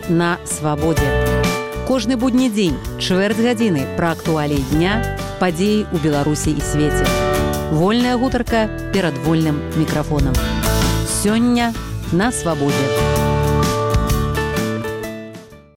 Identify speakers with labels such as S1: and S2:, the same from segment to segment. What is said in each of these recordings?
S1: Сёння на свабодзе. Кожны будні дзень, чвэрць гадзіны пра актуаліі дня, падзеі ў Беларусі і свеце. Вольная гутарка перад вольным мікрафонам. Сёння на свабодзе.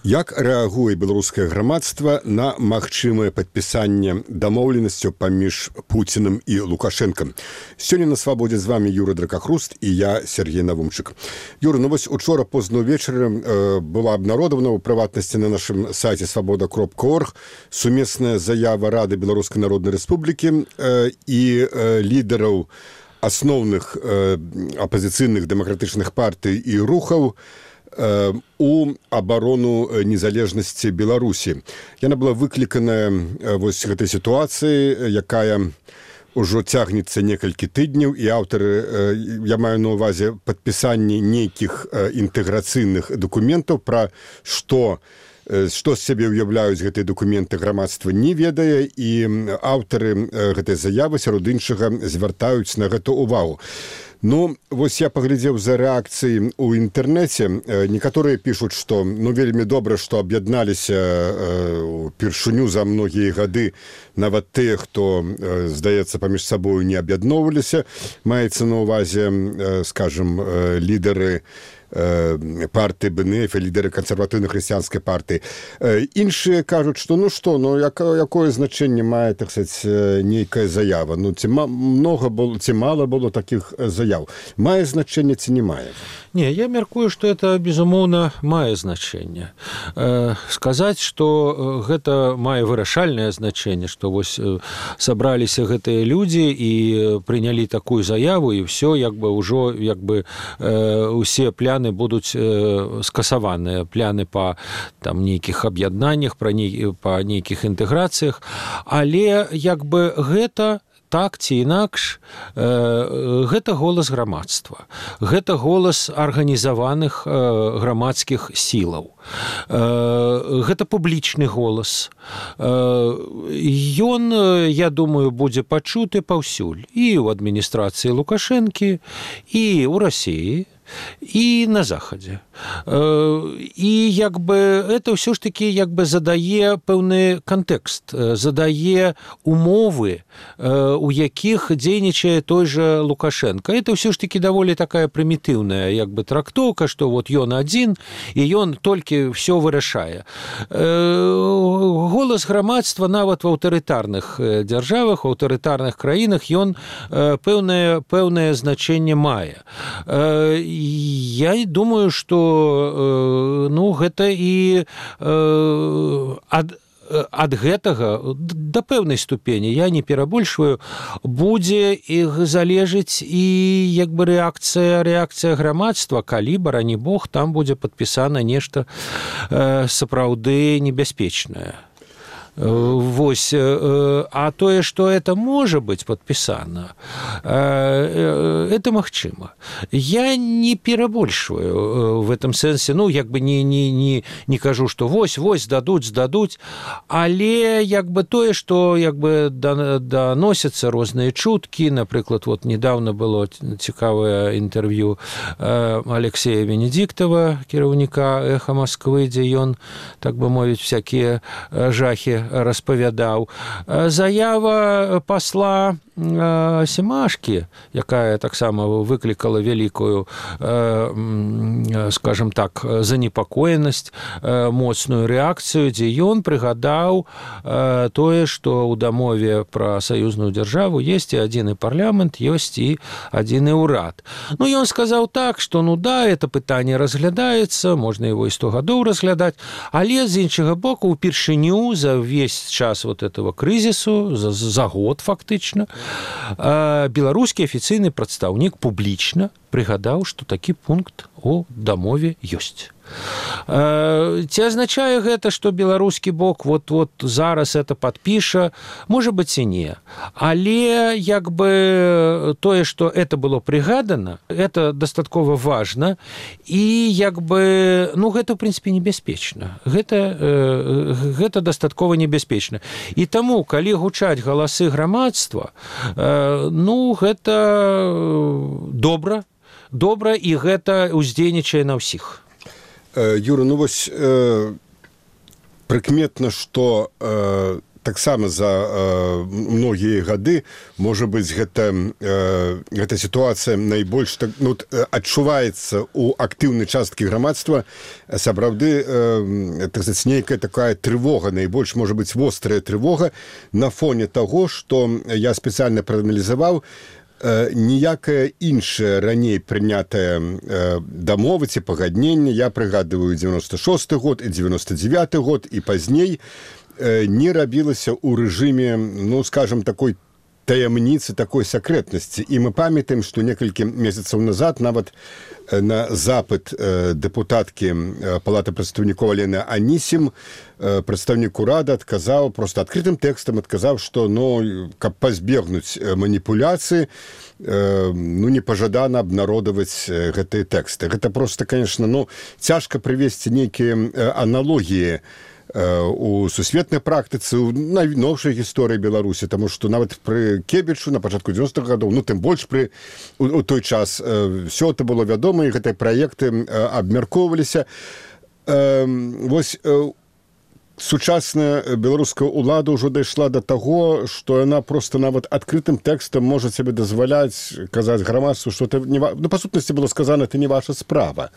S2: Як рэагуе беларускае грамадства на магчымае падпісанне дамоўленасцяў паміж Пуцінам і Лукашэнкам? Сёння на свабодзе з вами Юра Дракахруст і я, Сергей Навумчык. Юра, вось учора позна ўвечары была абнародавана ў прыватнасці на нашым сайце свабода.орг сумесная заява Рады Беларускай Народнай Рэспублікі і лідараў асноўных апазіцыйных дэмакратычных партый і рухаў у абарону незалежнасці Беларусі. Яна была выкліканая вось гэтай сітуацыі, якая ўжо цягнецца некалькі тыдняў, і аўтары, я маю на ўвазе падпісанне нейкіх інтэграцыйных дакументаў, пра што з сябе ўяўляюць гэтыя дакументы, грамадства не ведае, і аўтары гэтай заявы сярод іншага звяртаюць на гэта ўвагу. Ну, вось я паглядзеў за рэакцыі ў інтэрнэце. Некаторыя пішуць, што вельмі добра, што аб'ядналіся упершыню за многія гады нават тыя, хто, здаецца, паміж сабою не аб'ядноўваліся. Маецца на ўвазе, скажам, лідары партыі БНФ, лідары кансерватыўна-хрысціянскай партыі. Іншыя кажуць, што якое значэнне мае, так сказаць, нейкая заява? Ці мала было такіх заяў? Мае значэнне ці не мае?
S3: Не, я мяркую, што это, безумоўна, мае значэнне. Сказаць, што гэта мае вырашальнае значэнне, што вось сабраліся гэтыя людзі і прынялі такую заяву, і ўсё, ўжо усе пляны будуць скасаваныя, пляны па нейкіх аб'яднаннях, па нейкіх інтэграцыях, але гэта так ці інакш, гэта голас грамадства, гэта голас арганізаваных грамадскіх сілаў, гэта публічны голас. Ён, я думаю, будзе пачуты паўсюль, і ў адміністрацыі Лукашэнкі, і ў Расіі, і на Захадзе. І это ўсё ж такі задае пэўны кантэкст, задае умовы, у якіх дзейнічае той жа Лукашенко. Это ўсё ж такі даволі такая прымітыўная трактоўка, што вот ён адзін, і ён толькі ўсё вырашае. Голас грамадства нават в аўтарытарных дзяржавах, у аўтарытарных краінах ён пэўнае значэнне мае. Я думаю, што гэта і ад гэтага да пэўнай ступені, я не перабольшваю, будзе іх залежыць і рэакцыя грамадства, калі, барані Бог, там будзе падпісана нешта сапраўды небяспечнае. Вось, а тое, што это можа быць падпісана, это магчыма. Я не перабольшваю в этом сэнсе, не кажу, што вось здадуць, але тое, што даносяцца розныя чуткі, напрыклад, недавно было цікавае інтэрв'ю Алексея Венедиктова, кіраўніка «Эха Москвы», дзе ён, так бы мовіць, всякія жахі распавядаў. Заява пасла Семашкі, якая таксама выклікала вялікую, скажем так, занепакоенасць, моцную рэакцыю, дзе ён прыгадаў тое, што ў дамове пра саюзную дзяржаву ёсць і адзіны парламент, ёсць і адзіны ўрад. Ён сказаў так, што это пытанне разглядаецца, можна его і 100 гадоў разглядаць, але з іншага боку, упершыню за весь час этого крызісу, за год фактычна, беларускі афіцыйны прадстаўнік публічна прыгадаў, што такі пункт у дамове ёсць. Ці азначае гэта, што беларускі бок зараз это падпіша? Можа быць і не. Але тое, што это было прыгадана, это дастаткова важна, і гэта, ў прынцыпе, небяспечна. Гэта дастаткова небяспечна. І таму, калі гучаць галасы грамадства, гэта добра, і гэта ўздзейнічае на ўсіх.
S2: Юра, ну вось прыкметна, што таксама за многія гады, можа быць, гэта сітуацыя найбольш адчуваецца ў актыўнай часткі грамадства, сапраўды нейкая такая трывога, найбольш, можа быць, вострая трывога на фоне таго, што я спецыяльна прааналізаваў, ніякая іншая раней прынятая дамова ці пагадненне, я прыгадываю 96-й год і 99-й год і пазней, не рабілася ў рэжыме, ну, скажем, такой таямніцы, такой сакрэтнасці. І мы памятаем, што некалькі месяцаў назад нават на запыт дэпутаткі Палаты прадстаўнікоў Алены Анісім прадстаўнік урада адказаў, проста адкрытым тэкстам адказаў, што, ну, каб пазбегнуць маніпуляцыі, ну, непажадана абнародаваць гэтыя тэксты. Гэта проста, конечно, ну, цяжка прывесці нейкія аналогіі у сусветнай практыцы, у найноўшай гісторыі Беларусі, таму што нават пры Кебічу на пачатку 90-х гадоў, ну, тым больш у той час все это было вядома, і гэтыя праекты абмяркоўваліся. Вось сучасная беларуская ўлада ўжо дайшла да таго, што яна проста нават адкрытым тэкстам можа сабе дазваляць казаць грамадству, што ну, па сутнасці было сказана, это не ваша справа.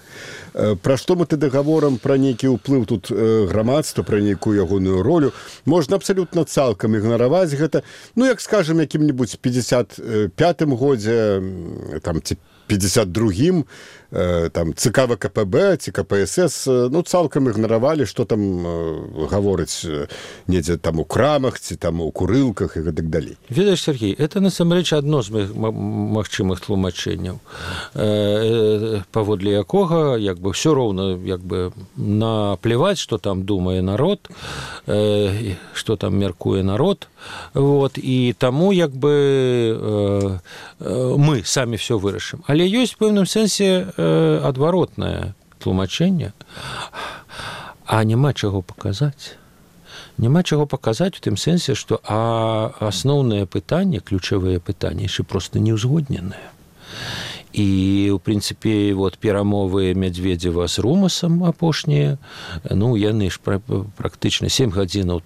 S2: Пра што мы тады гаворам, пра нейкі ўплыў тут грамадства, пра нейкую ягоную ролю, можна абсалютна цалкам ігнараваць гэта, ну, як скажам, якім-небудзь 55-м годзе, там, ці 52-м, там, ЦК ВКПБ, ці КПСС, ну, цалкам ігнаравалі, што там гаворыць недзе там у крамах, ці там у курылках і гэтак далей.
S3: Ведаеш, Сергей, это насамрэч адно з магчымых тлумачэнняў, паводле якога, як бы, ўсё роўна, як бы, наплеваць, што там думае народ, што там мяркуе народ, вот, і таму, як бы, мы самі все вырашым. Але ёсць у пэўным сэнсе адваротнае тлумачэнне, а няма чаго паказаць. Няма чаго паказаць у тым сэнсе, што асноўнае пытанне, ключавыя пытанні яшчэ проста не ўзгодненыя. І, у прынцыпе, вот, перамовы Мядзведзева з Румасам апошнія, ну, яны ж практычна 7 гадзінаў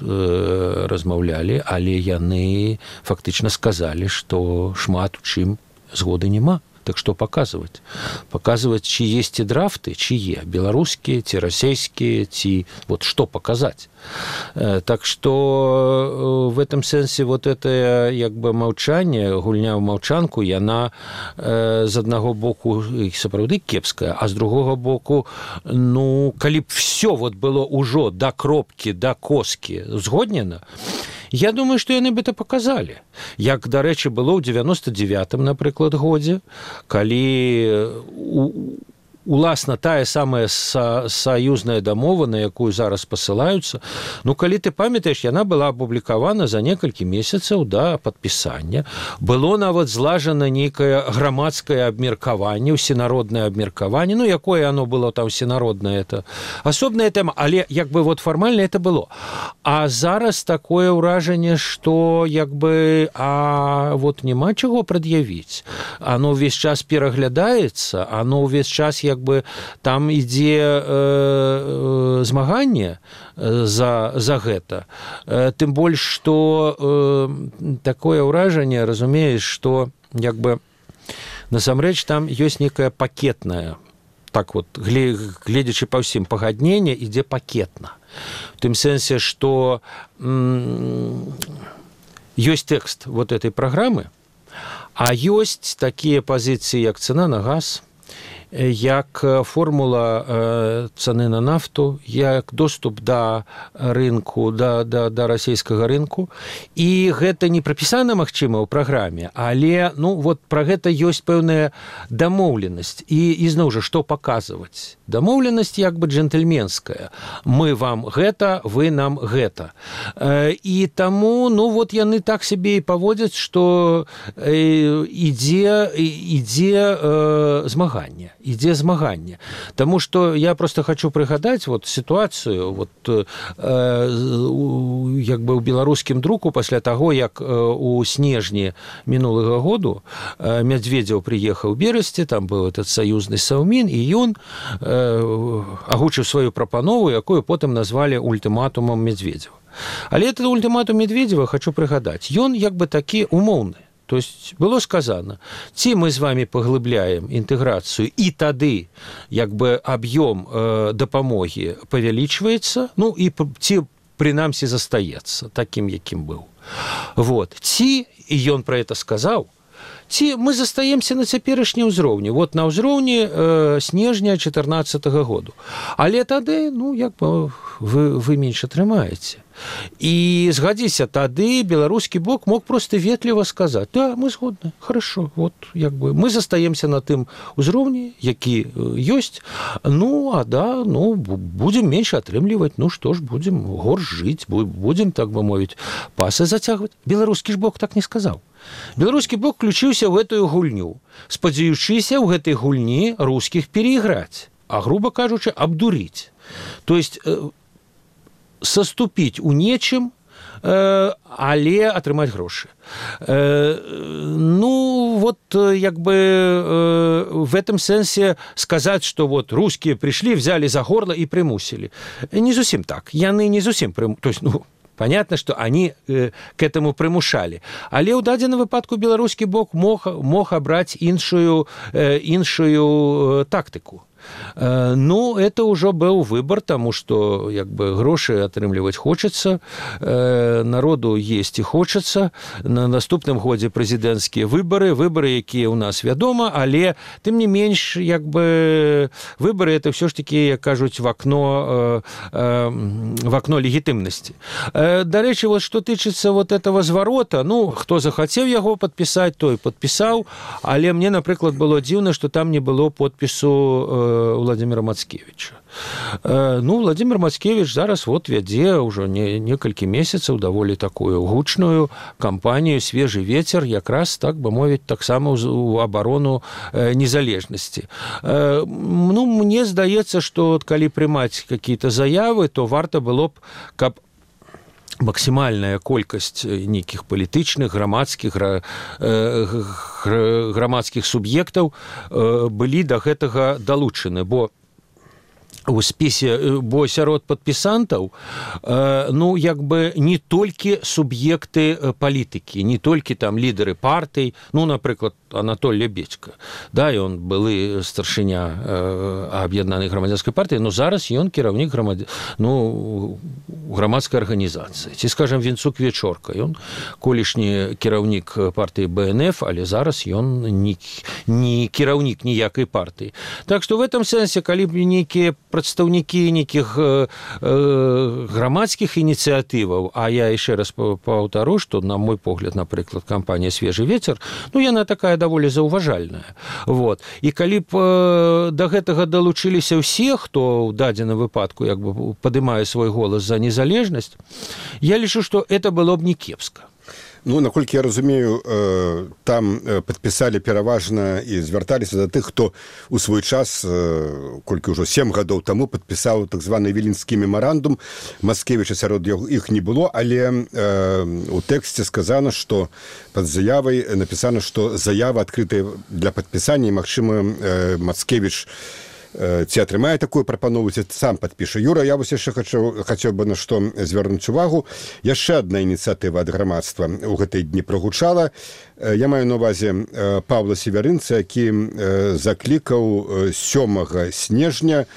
S3: размаўлялі, але яны фактычна сказалі, што шмат у чым згоды няма. Так што паказваць? Паказваць, ці есці драфты, чые? Беларускія, ці расійскія, ці... Вот што паказаць? Так што в этом сэнсе вот это, як бы, маўчанне, гульня ў маўчанку, яна з аднаго боку сапраўды кепская, а з другога боку, ну, калі б всё вот было ўжо да кропкі, да коскі згоднена, я думаю, што яны бы это паказалі. Як, дарэчы, было ў 99-м, напрыклад, годзе, калі уласна тая самая саюзная дамова, на якую зараз пасылаюцца, ну, калі ты памятаеш, яна была апублікавана за некалькі месяцаў да падпісання. Было нават злажана нейкае грамадскае абмеркаванне, усенароднае абмеркаванне, ну, якое оно было там усенароднае, это асобная тэма, але, як бы, вот фармальна это было. А зараз такое ўражанне, што, як бы, вот няма чаго прад'явіць. Оно ўвесь час пераглядаецца, оно ўвесь час, як бы, там ідзе змаганне за гэта. Тым больш, што такое ўражанне, разумееш, што, як бы, насамрэч там ёсць нейкая пакетная, так вот, гледзячы па ўсім, пагадненне ідзе пакетна. В тым сэнсе, што ёсць тэкст вот этой праграмы, а ёсць такія пазіцыі, як цана на газ, як формула цаны на нафту, як доступ да рынку, да расійскага рынку. І гэта не прапісана, магчыма, ў праграме, але, ну, вот пра гэта ёсць пэўная дамоўленасць. І зноў жа, што паказваць? Дамоўленасць як бы джентльменская. Мы вам гэта, вы нам гэта. І таму, ну, вот яны так сябе і паводзяць, што ідзе змаганне. ідзе змаганне. Таму што я просто хочу прыгадаць вот сітуацыю вот, як бы ў беларускім друку пасля таго, як у снежні мінулага году Медведзеў прыехаў у Берасці, там быў этот саюзны Саўмін, і ён агучыў сваю прапанову, якую потым назвалі ультыматумам Медведзева. Але этот ультыматум Медведзева, хочу прыгадаць, ён як бы такі умоўны. То есть было сказано, ці мы з вами паглыбляем інтэграцыю, і тады як бы аб'ём дапамогі павялічваецца, ну і ці прынамсі застаецца такім, якім быў. Вот. Ці, і ён пра это сказаў, ці мы застаемся на цяперашні ўзроўні, вот на ўзроўні снежня 2014 году. Але тады, ну, як бы вы менш атрымаеце. І згадзіся, тады беларускі бок мог просто ветліва сказаць: да, мы згодны, хорошо, вот як бы мы застаемся на тым узроўні, які ёсць, ну, а да, ну, будзем менш атрымліваць, ну, што ж, будзем горш жыць, будзем, так бы мовіць, пасы зацягваць. Беларускі ж бок так не сказаў. Беларускі бок включыўся ў гэтую гульню, спадзяючыся ў гэтай гульні рускіх перайграць, а, грубо кажучы, абдурыць. То есть саступіць у нечым, але атрымаць грошы. Ну, вот, як бы в этом сэнсе сказаць, што вот рускія прыйшлі, взяли за горло і прымусілі. Не зусім так. Яны не зусім прымусілі. То есть, ну, понятно, что они к этому примушали. Але ў дадзеным выпадку беларускі бок мог абраць іншую тактыку. Ну, это ўжо быў выбор, таму што як бы грошы атрымліваць хочацца, народу есці хочацца, на наступным годзе прэзідэнцкія выбары, якія ў нас вядома, але тым не менш, як бы выбары это ўсё ж такі, як кажуць, в окно легітымнасці. Дарэчы, вот што тычыцца вот этого зварота, ну, хто захацеў яго падпісаць, той падпісаў, але мне, напрыклад, было дзіўна, што там не было подпісу Владимира Мацкевича. Ну, Владимир Мацкевич зараз вот вядзе ўжо некалькі месяцаў даволі такую гучную кампанію «Свежий ветер», якраз, так бы мовіць, таксама ў абарону незалежнасці. Ну, мне здаецца, што калі прымаць какие-то заявы, то варта было б, каб максімальная колькасць нейкіх палітычных, грамадскіх суб'ектаў былі да гэтага далучаны, бо у спісе, бо сярод падпісантаў, ну, як бы не толькі суб'екты палітыкі, не толькі там лідары партый, ну, напрыклад, Анатоль Лебедько, да, ён былы старшыня аб'яднанай грамадзянскай партыі, но зараз ён кіраўнік грамадскай арганізацыі. Ці, скажам, Вінцук Вечорка, ён колішні кіраўнік партыі БНФ, але зараз ён не кіраўнік ніякай партыі. Так што в этом сэнсе, калі б нейкія прадстаўнікі нейкіх грамадскіх ініцыятываў, а я яшчэ раз паўтару, што, на мой погляд, напрыклад, кампанія «Свежий ветер», ну, яна такая даволі заўважальная. Вот. І калі б да гэтага далучыліся ўсе, хто ў дадзеным выпадку як бы падымае свой голас за незалежнасць, я лічу, што это было б не кепска.
S2: Ну, наколькі я разумею, там падпісалі пераважна і звярталіся да тых, хто у свой час, колькі ўжо 7 гадоў таму, падпісаў так званы Віленскі мемарандум. Мацкевіча сярод іх не было, але у тэксце сказана, што пад заявай напісана, што заява адкрытая для падпісання, і, магчыма, Мацкевіч ці атрымае такую прапанову, ці сам падпіша. Юра, я вось яшчэ хацеў бы на што звярнуць увагу. Яшчэ адна ініцыятыва ад грамадства ў гэтай дні прагучала. Я маю на ўвазе Павла Северынца, які заклікаў 7 снежня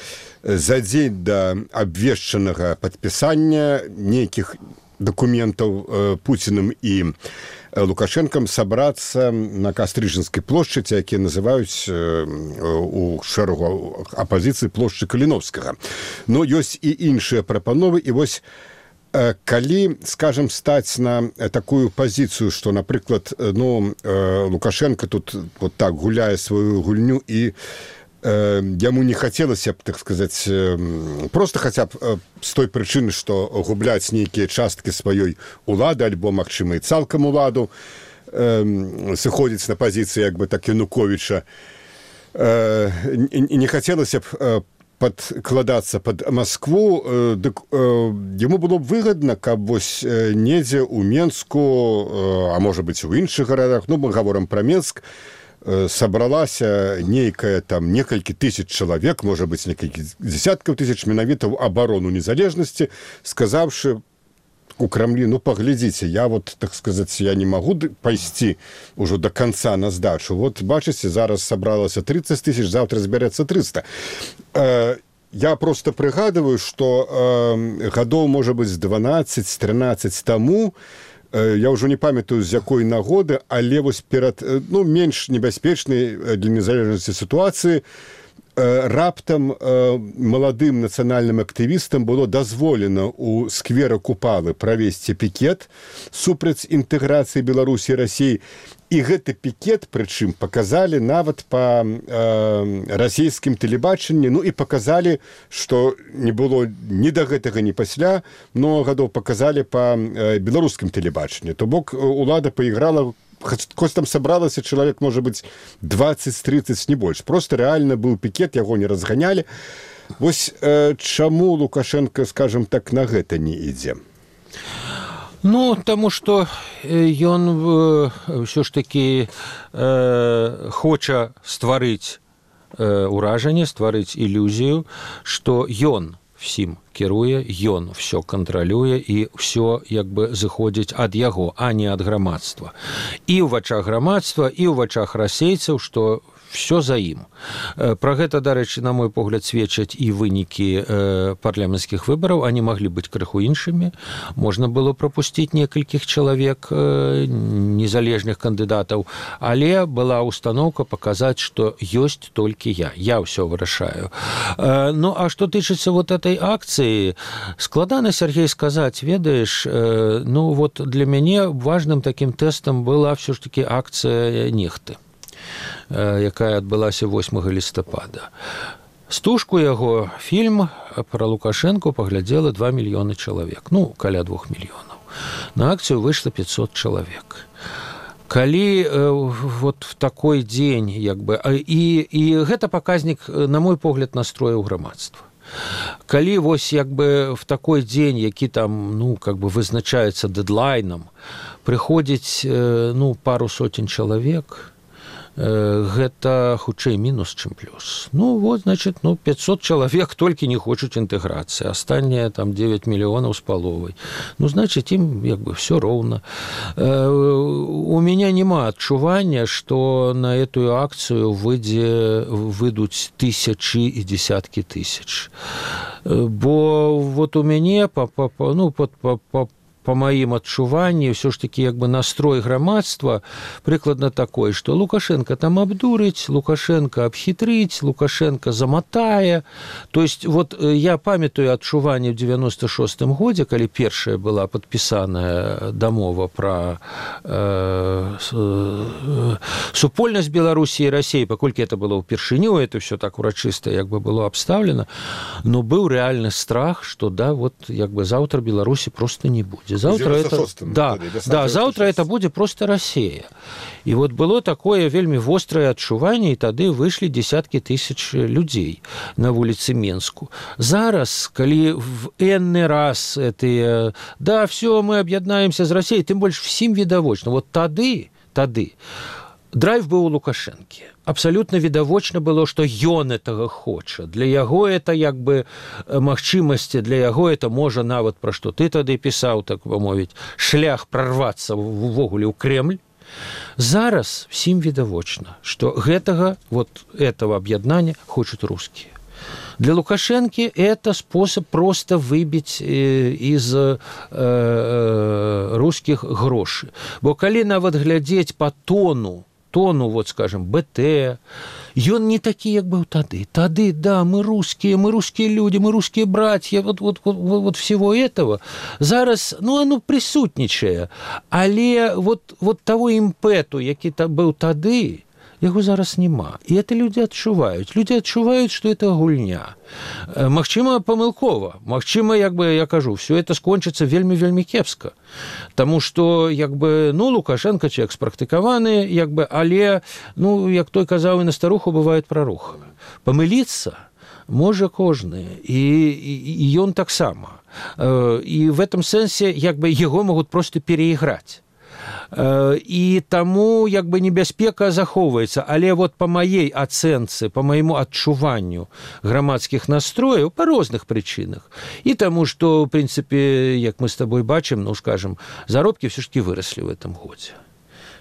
S2: за дзень да абвешчанага падпісання нейкіх дакументаў Пуціным і Лукашенкам сабрацца на Кастрыжынскай плошчы, якія называюць у шэрагу апазіцыі плошчы Каліновскага. Но ёсць і іншыя прапановы, і вось калі, скажем, стаць на такую пазіцыю, што, напрыклад, ну, Лукашенко тут вот так гуляе сваю гульню, і яму не хацелася б, так сказаць, просто хаця б з той прычыны, што губляць нейкія часткі сваёй улады, альбо, магчыма, і цалкам уладу, сыходзіць на пазіцыі, як бы, так, Януковіча, не хацелася б падкладацца под Москву, дык яму было б выгадна, каб вось недзе ў Менску, а можа быць у іншых гарадах, ну мы гаворым пра Менск, сабралася нейкая там некалькі тысяч чалавек, можа быць некалькі дзесяткаў тысяч менавіта ў абарону незалежнасці, сказаўшы у Крамлі, ну паглядзіце, я вот, так сказаць, я не магу пайсці ўжо до конца на здачу. Вот бачыце, зараз сабралася 30 тысяч, завтра збярэцца 300. Я просто прыгадываю, што гадоў, можа быць, 12-13 таму, я ўжо не памятаю, з якой нагоды, але вось перад, ну, менш небяспечнай для незалежнасці сітуацыі, раптам маладым нацыянальным актывістам было дазволена ў сквера Купалы правесці пікет супраць інтэграцыі Беларусі і Расіі. І гэты пікет, прычым, паказалі нават па расійскім тэлебачанні, ну і паказалі, што не было ні да гэтага, ні пасля, много гадоў паказалі па беларускім тэлебачанні. То бок улада пайграла, хоць там сабралася чалавек, можа быць, 20-30, не больш. Просто рэальна быў пікет, яго не разганялі. Вось чаму Лукашенко, скажем так, на гэта не ідзе?
S3: Ну, таму што ён ўсё ж такі хоча стварыць уражанне, стварыць ілюзію, што ён всім кіруе, ён все кантралюе і все як бы зыходзіць ад яго, а не ад грамадства. І ў вачах грамадства, і ў вачах расейцаў, што все за ім. Пра гэта, дарэчы, на мой погляд, сведчаць і вынікі парламенцкіх выбараў. Они маглі быць крыху іншымі. Можна было прапусціць некалькіх чалавек, незалежных кандыдатаў, але была установка паказаць, што ёсць толькі я. Я ўсё вырашаю. Ну, а што тычыцца вот этой акцыі, складана, Сергей, сказаць, ведаеш, ну, вот для мяне важным таким тэстам была все ж таки акцыя Нехты, якая адбылася 8 лістапада. Стужку яго фільм пра Лукашэнку паглядзела 2 мільёны чалавек, ну, каля 2 мільёнаў. На акцыю выйшла 500 чалавек. Калі вот в такой дзень, як бы, і гэта паказнік, на мой погляд, настрояў грамадства. Калі вось як бы в такой дзень, які там, ну, как бы вызначаецца дэдлайнам, прыходзіць, ну, пару сотень чалавек, гэта хутчэй мінус, чым плюс. Ну, вот, значит, ну, 500 чалавек толькі не хочуць інтэграцыі, астатнія там 9 мільёнаў з паловай. Ну, значит, ім як бы все роўна. У меня няма адчування, што на эту акцыю выйдуць тысячы і десяткі тысяч. Бо вот у мяне по маім адчуванні, ўсё ж такі як бы настрой грамадства прыкладна такой, што Лукашенко там абдурыць, Лукашенко абхітрыць, Лукашенко заматае. То есть вот я памятаю адчуванне ў 96-м годзе, калі першая была падпісаная дамова пра супольнасць Беларусі і Расіі, паколькі это было ўпершыню, это все так урачыста як бы было абстаўлена, но быў рэальны страх, што да, вот як бы заўтра Беларусі просто не будзе. Завтра завтра это будет просто Россия. И вот было такое вельмі вострое адчуванне, и тады вышлі десятки тысяч людей на вуліцы Менску. Зараз, калі в энны раз это, да, все, мы об'яднаемся з Россией, тым больш всім відавочна. Вот тады драйв быў у Лукашэнкі. Абсолютно відавочна было, што ён гэтага хоча. Для яго это як бы магчымасці, для яго это можа нават пра што ты тады пісаў, так бы мовіць, шлях прорвацца увогуле ў Кремль. Зараз всім відавочна, што этого аб'яднання хочуць рускія. Для Лукашенки это способ просто выбить из русских гроши. Бо калі нават глядзець по тону, вот, скажем, БТ, ён не такі, як быў тады. Тады, да, мы русские люди, мы русские братья, вот всего этого. Зараз, ну, оно присутнічае. Але вот того імпэту, які быў тады, яго зараз няма. І это людзі адчуваюць. Людзі адчуваюць, што это гульня. Магчыма, памылкова. Магчыма, як бы я кажу, все это скончыцца вельмі-вельмі кепска. Таму што, як бы, Лукашенко чалавек спрактыкаваны, як бы, але, як той казаў, і на старуху бывае праруха. Памыліцца можа кожны, і ён таксама. І в этом сэнсе, як бы, яго могуць проста пераіграць. І таму, як бы, небяспека захоўваецца. Але вот па маей ацэнцы, па майму адчуванню грамадскіх настрояў па розных прычынах. І таму, што, в прынцыпе, як мы з табой бачым, скажем, заробкі ўсё ж таки выраслі в этом годзе.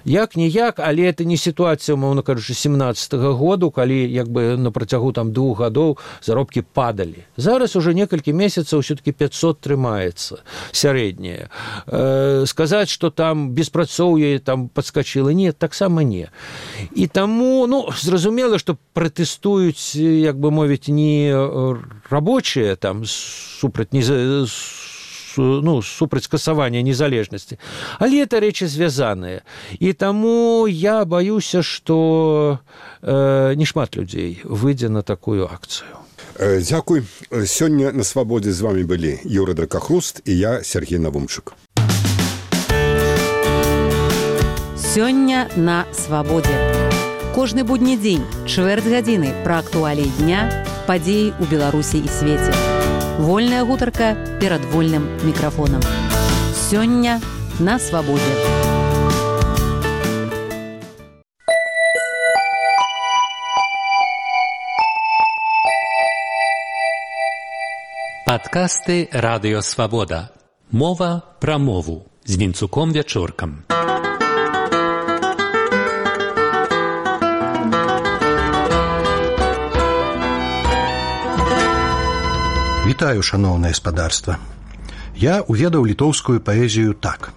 S3: Як-ніяк, але это не сітуацыя, умоўна кажучы, 17-го году, калі, як бы, на працягу 2 гадоў заробкі падалі. Зараз уже некалькі месяцаў ўсё-таки 500 трымаецца сярэдняе. Сказаць, што там беспрацоўе там падскачыла, не, таксама не. І таму, зразумела, што пратэстуюць, як бы мовіць, не рабочыя там супраць супраць скасавання незалежнасці. Але это рэчы звязаныя. І таму я баюся, што не шмат людзей выйдзе на такую акцыю.
S2: Дзякуй. Сёння на свабодзе з вами былі Юра Дракахруст і я, Сергей Навумчык.
S1: Сёння на свабодзе. Кожны будні дзень, чвэрць гадзіны пра актуаліі дня, падзеі ў Беларусі і свеце. Вольная гутарка перад вольным мікрафонам. Сёння на свабодзе.
S4: Падкасты Радыё Свабода. Мова пра мову з Вінцуком Вячоркам.
S5: Вітаю, шаноўнае спадарства. Я уведаў літоўскую паэзію так.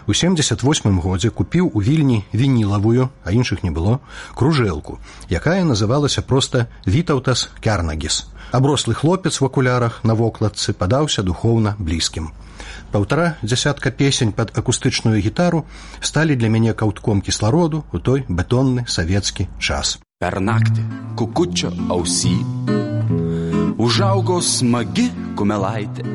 S5: У 78 годзе купіў у Вільні вінілавую, а іншых не было, кружэлку, якая называлася проста «Вітаўтас Кярнагіс». Аброслы хлопец в акулярах на вокладцы падаўся духоўна блізкім. 1,5 дзясятка песень пад акустычную гітару сталі для мяне каўтком кіслароду у той бетонны савецкі час.
S6: Pernakti kukučio ausy užaugo smagi kumelaitė.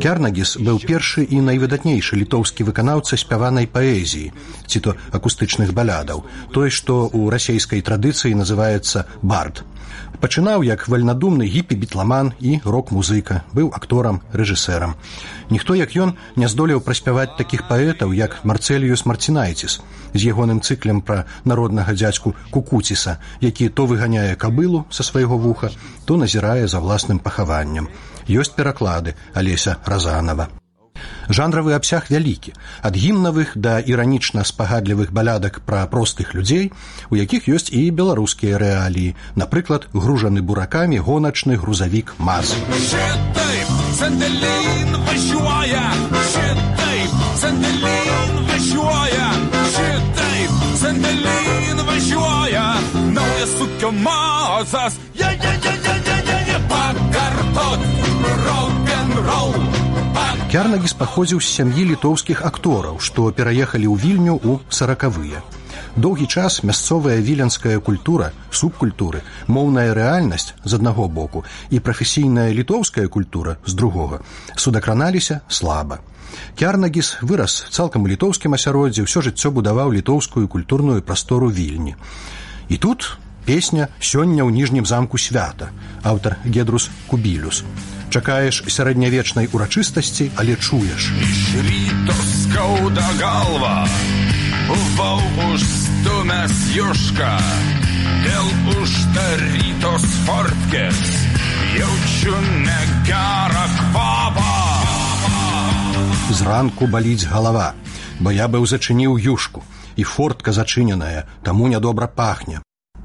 S5: Кярнагіс быў першы і найвыдатнейшы літоўскі выканаўца спяванай паэзіі, ці то акустычных балядаў, той, што ў расейскай традыцыі называецца бард. Пачынаў як вальнадумны гіпі-бітламан і рок-музыка, быў акторам, рэжысэрам. Ніхто, як ён, не здолеў праспяваць такіх паэтаў, як Марцэліюс Марцінайціс, з ягоным цыклем пра народнага дзядзьку Кукуціса, які то выганяе кабылу са свайго вуха, то назірае за власным пахаваннем. Ёсць пераклады Алеся Разанова. Жанравы абсяг вялікі, ад гімнавых да іранічна-спагадлівых балядак пра простых людзей, у якіх ёсць і беларускія рэаліі, напрыклад, гружаны буракамі гоначны грузавік МАЗ. Кярнагіс паходзіў з сям'і літоўскіх актораў, што пераехалі ў Вільню ў 40-выя. Доўгі час мясцовая віленская культура, субкультуры, моўная рэальнасць з аднаго боку і прафесійная літоўская культура з другога судакраналіся слаба. Кярнагіс вырас цалкам у літоўскім асяроддзі, ўсё жыццё будаваў літоўскую культурную прастору Вільні. І тут песня «Сёння ў ніжнім замку свята», аўтар Гедрус Кубілюс. Чакаеш сярэднявечнай урачыстасці, але чуеш.
S6: Ryto skauda galva, buvau užstumęs jušką, dėl uždarytos fortkės jaučiu negerą kvapą.
S5: Зранку баліць галава, бо я быў зачыніў юшку, і фортка зачыненая, таму нядобра пахне.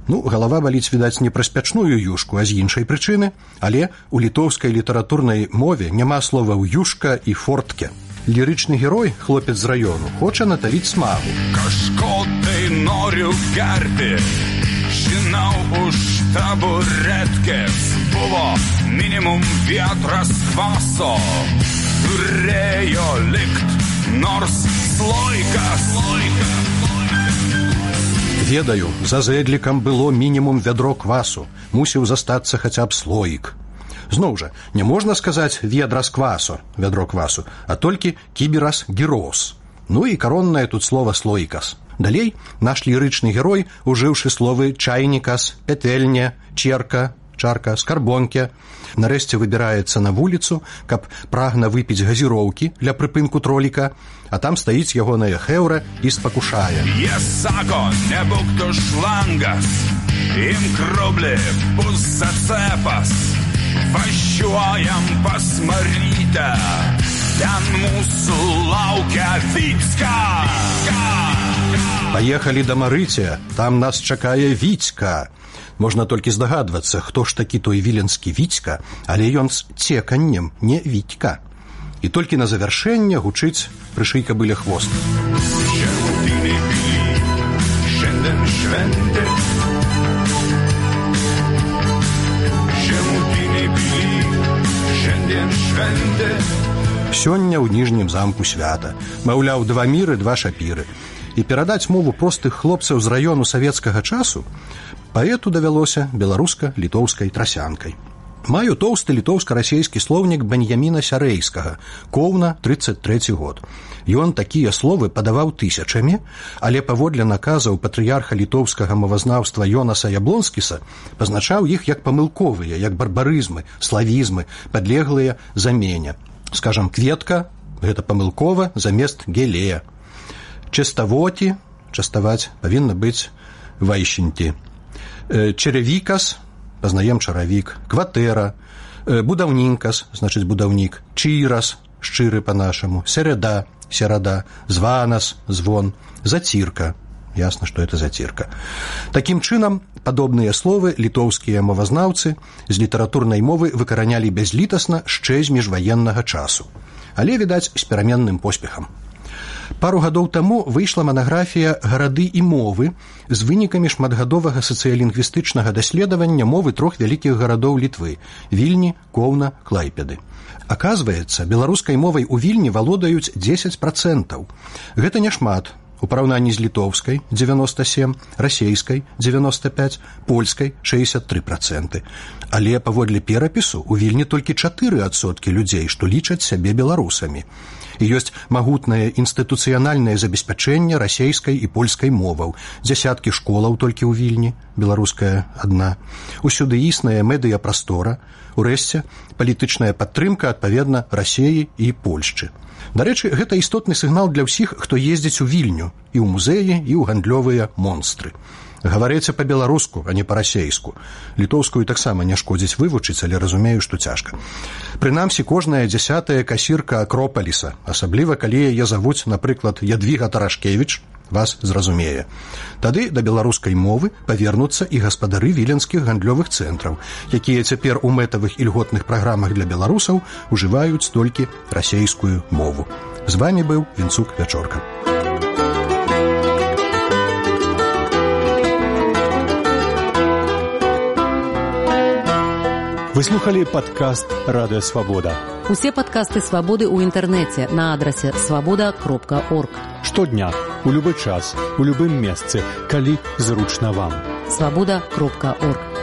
S5: Галава баліць, відаць, не праз пячную юшку, а з іншай прычыны, але у літоўскай літаратурнай мове няма словаў юшка і фортке. Лірычны герой, хлопец з раёну, хоча наталіць смагу.
S6: Kažkotai noriu gerti, žinau už taburetkės buvo minimum vietras kvaso, turėjo likt nors sloikas.
S5: Ведаю, за зэдлікам было мінімум вядро квасу. Мусіў застацца хаця б слоік. Зноў жа, не можна сказаць ведра з квасу, вядро квасу, а толькі кіберас гірос. Ну і короннае тут слова слоікас. Далей наш лірычны герой, ужыўшы словы чайнікас, петэльня, черка, чарка, скарбонке, нарэшце выбіраецца на вуліцу, каб прагна выпіць газіроўкі для прыпынку троліка, а там стаіць ягоная хэўра і спакушае.
S6: Єсако, не букту шлангас, ім кроблі пус зацепас, ващуаям посмотрите, там мусу лаўка Віцька.
S5: Паехалі да Марыця, там нас чакае Віцька. Можна толькі здагадвацца, хто ж такі той віленскі Віцька, але ён з цеканнем, не Вітька. І толькі на завяршэнне гучыць «Прышый кабыле хвост». Сёння ў ніжнім замку свята. Маўляў, 2 міры, 2 шапіры. І перадаць мову простых хлопцаў з раёну савецкага часу паэту давялося беларуска-літоўскай трасянкай. Маю тоўсты літоўска-расейскі слоўнік Беньяміна Сярэйскага, Коўна, 33 год. Ён такія словы падаваў тысячамі, але паводле наказаў патрыярха літоўскага мовазнаўства Йонаса Яблонскіса пазначаў іх як памылковыя, як барбарызмы, славізмы, падлеглыя замене. Скажам, кветка – гэта памылкова замест гелея. Частавоці, частаваць, павінна быць вайшеньці. Чаравікас, пазнаем чаравік, кватэра, будаўнінкас, значыць будаўнік, чырас, шчыры па-нашаму, середа, серада, званас, звон, зацірка, ясна, што это зацірка. Такім чынам, падобныя словы літоўскія мовазнаўцы з літаратурнай мовы выкаранялі бязлітасна шчэ з міжваеннага часу, але, відаць, з пераменным поспехам. Пару гадоў таму выйшла манаграфія «Гарады і мовы» з вынікамі шматгадовага сацыялінгвістычнага даследавання мовы 3 вялікіх гарадоў Літвы – Вільні, Коўна, Клайпеды. Аказваецца, беларускай мовай у Вільні валодаюць 10%. Гэта няшмат. У параўнанні з літоўскай – 97%, расейскай – 95%, польскай – 63%. Але паводле перапісу у Вільні толькі 4% людзей, што лічаць сябе беларусамі. І ёсць магутнае інстытуцыянальнае забеспячэнне расейскай і польскай моваў, дзясяткі школаў толькі ў Вільні, беларуская адна. Усюды існая медыяпрастора, урэшце палітычная падтрымка адпаведна Расеі і Польшчы. Дарэчы, гэта істотны сігнал для ўсіх, хто ездзіць у Вільню, і ў музеі, і ў гандлёвыя монстры. Гаварыце па-беларуску, а не па-расейску. Літоўскую таксама не шкодзіць вывучыць, але разумею, што цяжка. Прынамсі, кожная 10-я касірка Акропаліса, асабліва калі яе завуць, напрыклад, Ядвіга Тарашкевіч, вас зразумее. Тады да беларускай мовы павернуцца і гаспадары віленскіх гандлёвых цэнтраў, якія цяпер у мэтавых і льготных праграмах для беларусаў ужываюць толькі расейскую мову. З вамі быў Вінцук Вячорка.
S7: Вы слухали падкаст «Радыё Свабода».
S1: Усе падкасты «Свабоды» ў інтэрнэце на адрасе свабода.орг.
S7: Штодня, у любы час, у любым месцы, калі зручна вам.
S1: свабода.орг.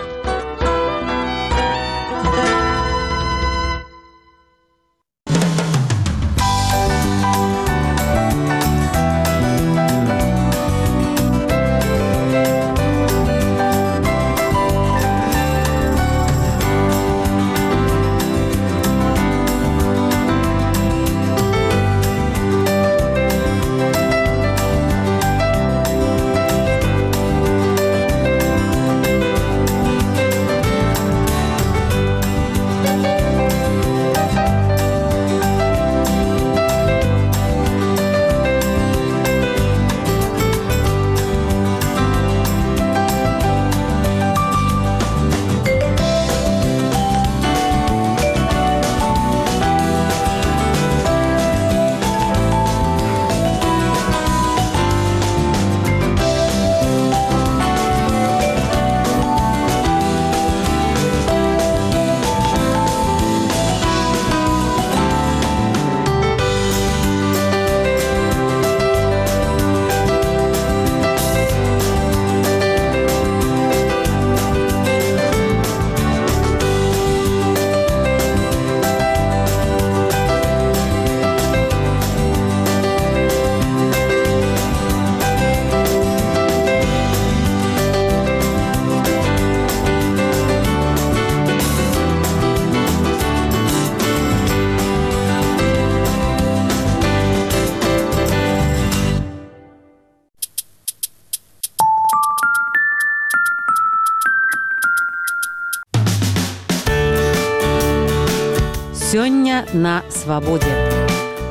S1: Сёння на свабодзе.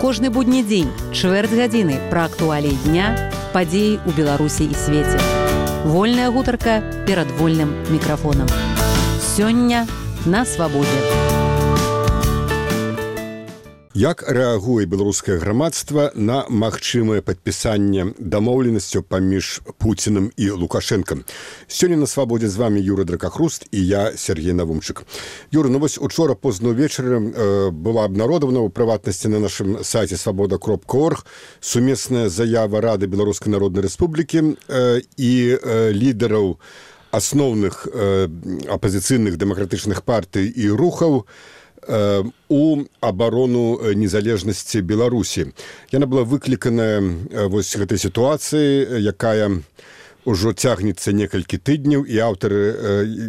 S1: Кожны будні дзень, чвэрць гадзіны пра актуаліі дня, падзеі ў Беларусі і свеце. Вольная гутарка перад вольным мікрафонам. Сёння на свабодзе.
S2: Як рэагуе беларускае грамадства на магчымае падпісанне дамоўленасцяў паміж Пуцінам і Лукашэнкам? Сёння на свабодзе з вами Юра Дракахруст і я, Сергей Навумчык. Юра, ну вось учора позна ўвечары была абнародавана ў прыватнасці на нашым сайце свабода.орг сумесная заява Рады Беларускай Народнай Рэспублікі і лідараў асноўных апазіцыйных дэмакратычных партый і рухаў у абарону незалежнасці Беларусі. Яна была выкліканая вось гэтай сітуацыі, якая ўжо цягнецца некалькі тыдняў, і аўтары,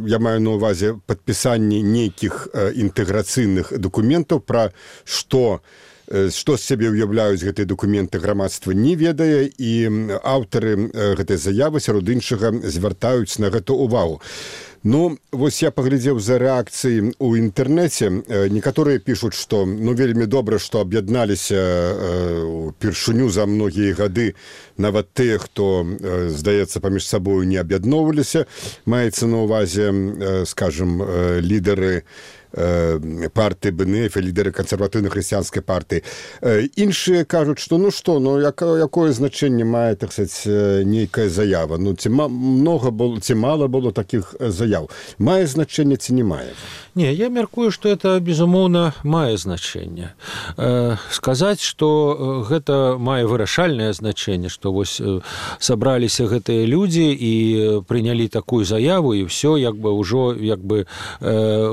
S2: я маю на ўвазе падпісанне нейкіх інтэграцыйных дакументаў, пра што з сябе ўяўляюць гэтыя дакументы, грамадства не ведае, і аўтары гэтай заявы сярод іншага звяртаюць на гэту ўвагу. Ну, вось я паглядзеў за рэакцыяй у інтэрнэце. Некаторыя пішуць, што вельмі добра, што аб'ядналіся упершыню за многія гады нават тыя, хто, здаецца, паміж сабою не аб'ядноўваліся. Маецца на ўвазе, скажам, лідары партыі БНФ, лідары кансерватыўна-хрысціянскай партыі. Іншыя кажуць, што якое значэнне мае, так сказаць, нейкая заява? Ці мала было такіх заяў? Мае значэнне ці не мае?
S3: Не, я мяркую, што это, безумоўна, мае значэнне. Сказаць, што гэта мае вырашальнае значэнне, што вось сабраліся гэтыя людзі і прынялі такую заяву, і ўсё, ўжо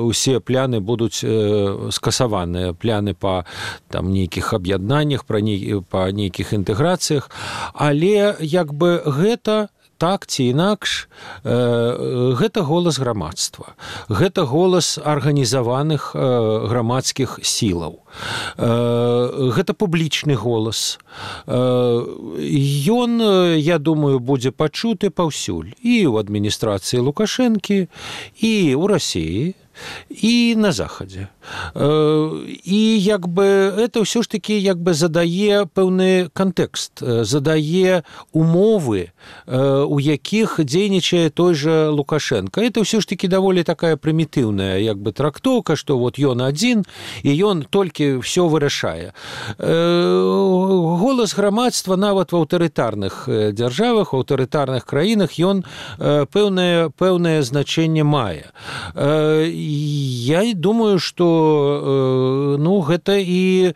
S3: усе пляны будуць скасаваныя, пляны па нейкіх аб'яднаннях, па нейкіх інтэграцыях, але гэта так ці інакш, гэта голас грамадства, гэта голас арганізаваных грамадскіх сілаў, гэта публічны голас. Ён, я думаю, будзе пачуты паўсюль, і ў адміністрацыі Лукашэнкі, і ў Расіі, і на захадзе. І это ўсё ж такі задае пэўны кантэкст, задае умовы, у якіх дзейнічае той жа Лукашенко. Это ўсё ж такі даволі такая прымітыўная трактоўка, што вот ён адзін, і ён толькі ўсё вырашае. Голас грамадства нават в аўтарытарных дзяржавах, у аўтарытарных краінах ён пэўнае значэнне мае. Я думаю, што гэта і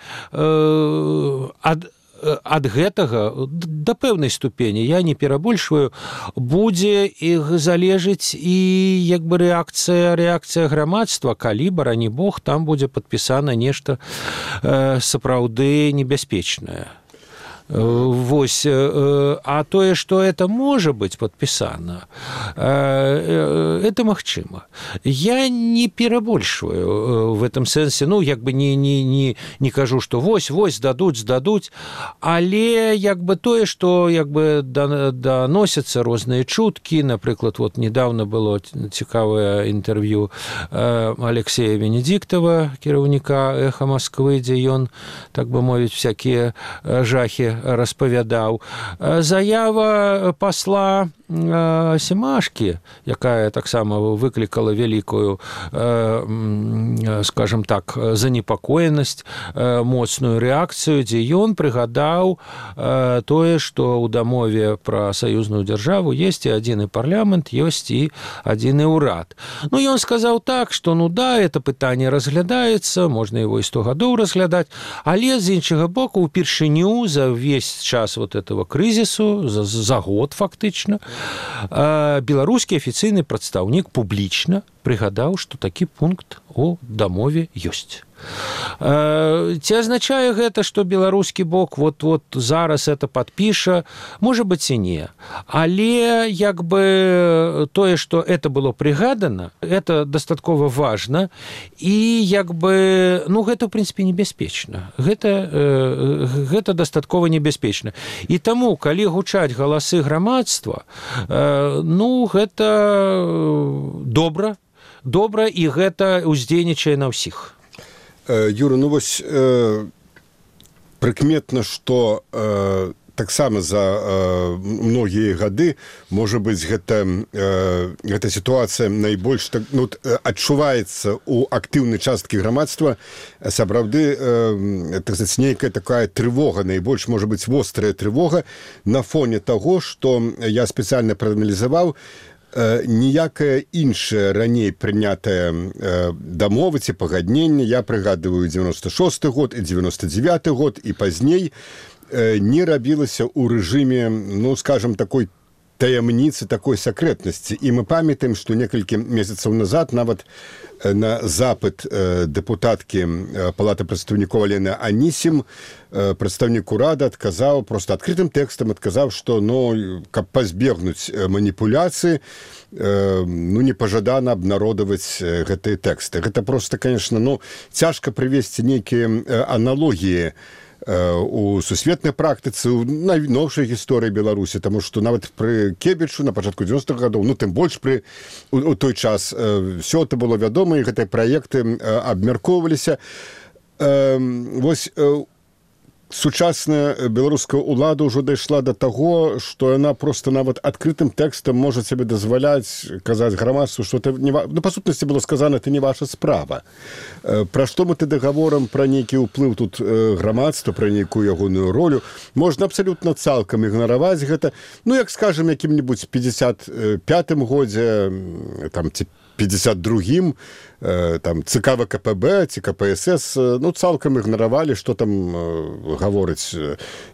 S3: ад гэтага да пэўнай ступені, я не перабольшваю, будзе іх залежыць і рэакцыя грамадства, калі, барані Бог, там будзе падпісана нешта сапраўды небяспечнае. Вось, а тое, што это можа быць падпісана, это магчыма. Я не перабольшваю в этом сэнсе, не кажу, што вось дадуць, але тое, што даносяцца розныя чуткі. Напрыклад, вот недавно было цікавае інтэрв'ю Алексея Венедиктова, кіраўніка «Эха Москвы», дзе ён, так бы мовіць, всякія жахі распавядаў. Заява пасла Семашкі, якая таксама выклікала вялікую, скажем так, занепакоенасць, моцную рэакцыю, дзе ён прыгадаў тое, што ў дамове пра саюзную дзяржаву ёсць і адзіны парламент, ёсць і адзіны ўрад. Ён сказаў так, што это пытанне разглядаецца, можна его і 100 гадоў разглядаць, але з іншага боку, упершыню за весь час вот этого крызісу, за год фактычна, беларускі афіцыйны прадстаўнік публічна прыгадаў, што такі пункт у дамове ёсць. Ці азначае гэта, што беларускі бок вот зараз это падпіша? Можа быць і не. Але тое, што это было прыгадана, это дастаткова важна, і гэта, ў прынцыпе, небяспечна. Гэта дастаткова небяспечна. І таму, калі гучаць галасы грамадства, гэта добра, і гэта ўздзейнічае на ўсіх.
S2: Юра, ну вось прыкметна, што таксама за многія гады, можа быць, гэта сітуацыя найбольш адчуваецца ў актыўнай часткі грамадства, сапраўды нейкая такая трывога, найбольш, можа быць, вострая трывога на фоне таго, што я спецыяльна прааналізаваў, ніякая іншая раней прынятая дамова ці пагадненне, я прыгадываю 96 год і 99 год і пазней, не рабілася ў рэжыме, ну, скажем, такой таямніцы, такой сакрэтнасці. І мы памятаем, што некалькі месяцаў назад нават на запыт дэпутаткі Палаты прадстаўнікоў Алены Анісім прадстаўнік урада адказаў, проста адкрытым тэкстам адказаў, што, ну, каб пазбегнуць маніпуляцыі, ну, непажадана абнародаваць гэтыя тэксты. Гэта проста, конечно, ну, цяжка прывесці нейкія аналогіі у сусветнай практыцы, у найноўшай гісторыі Беларусі, таму што нават пры Кебічу на пачатку 90-х гадоў, ну, тым больш у той час ўсё это было вядома, і гэтыя праекты абмяркоўваліся. Вось сучасная беларуская ўлада ўжо дайшла да таго, што яна проста нават адкрытым тэкстам можа сабе дазваляць казаць грамадству, што это не ну, па сутнасці было сказана, это не ваша справа. Пра што мы тады гаворым, пра нейкі ўплыў тут грамадства, пра нейкую ягоную ролю, можна абсалютна цалкам ігнараваць гэта, ну, як скажем, якім-небудзь 55-м годзе, там, ці 52-м, там, ЦК ВКПБ, ці КПСС, ну, цалкам ігнаравалі, што там гаворыць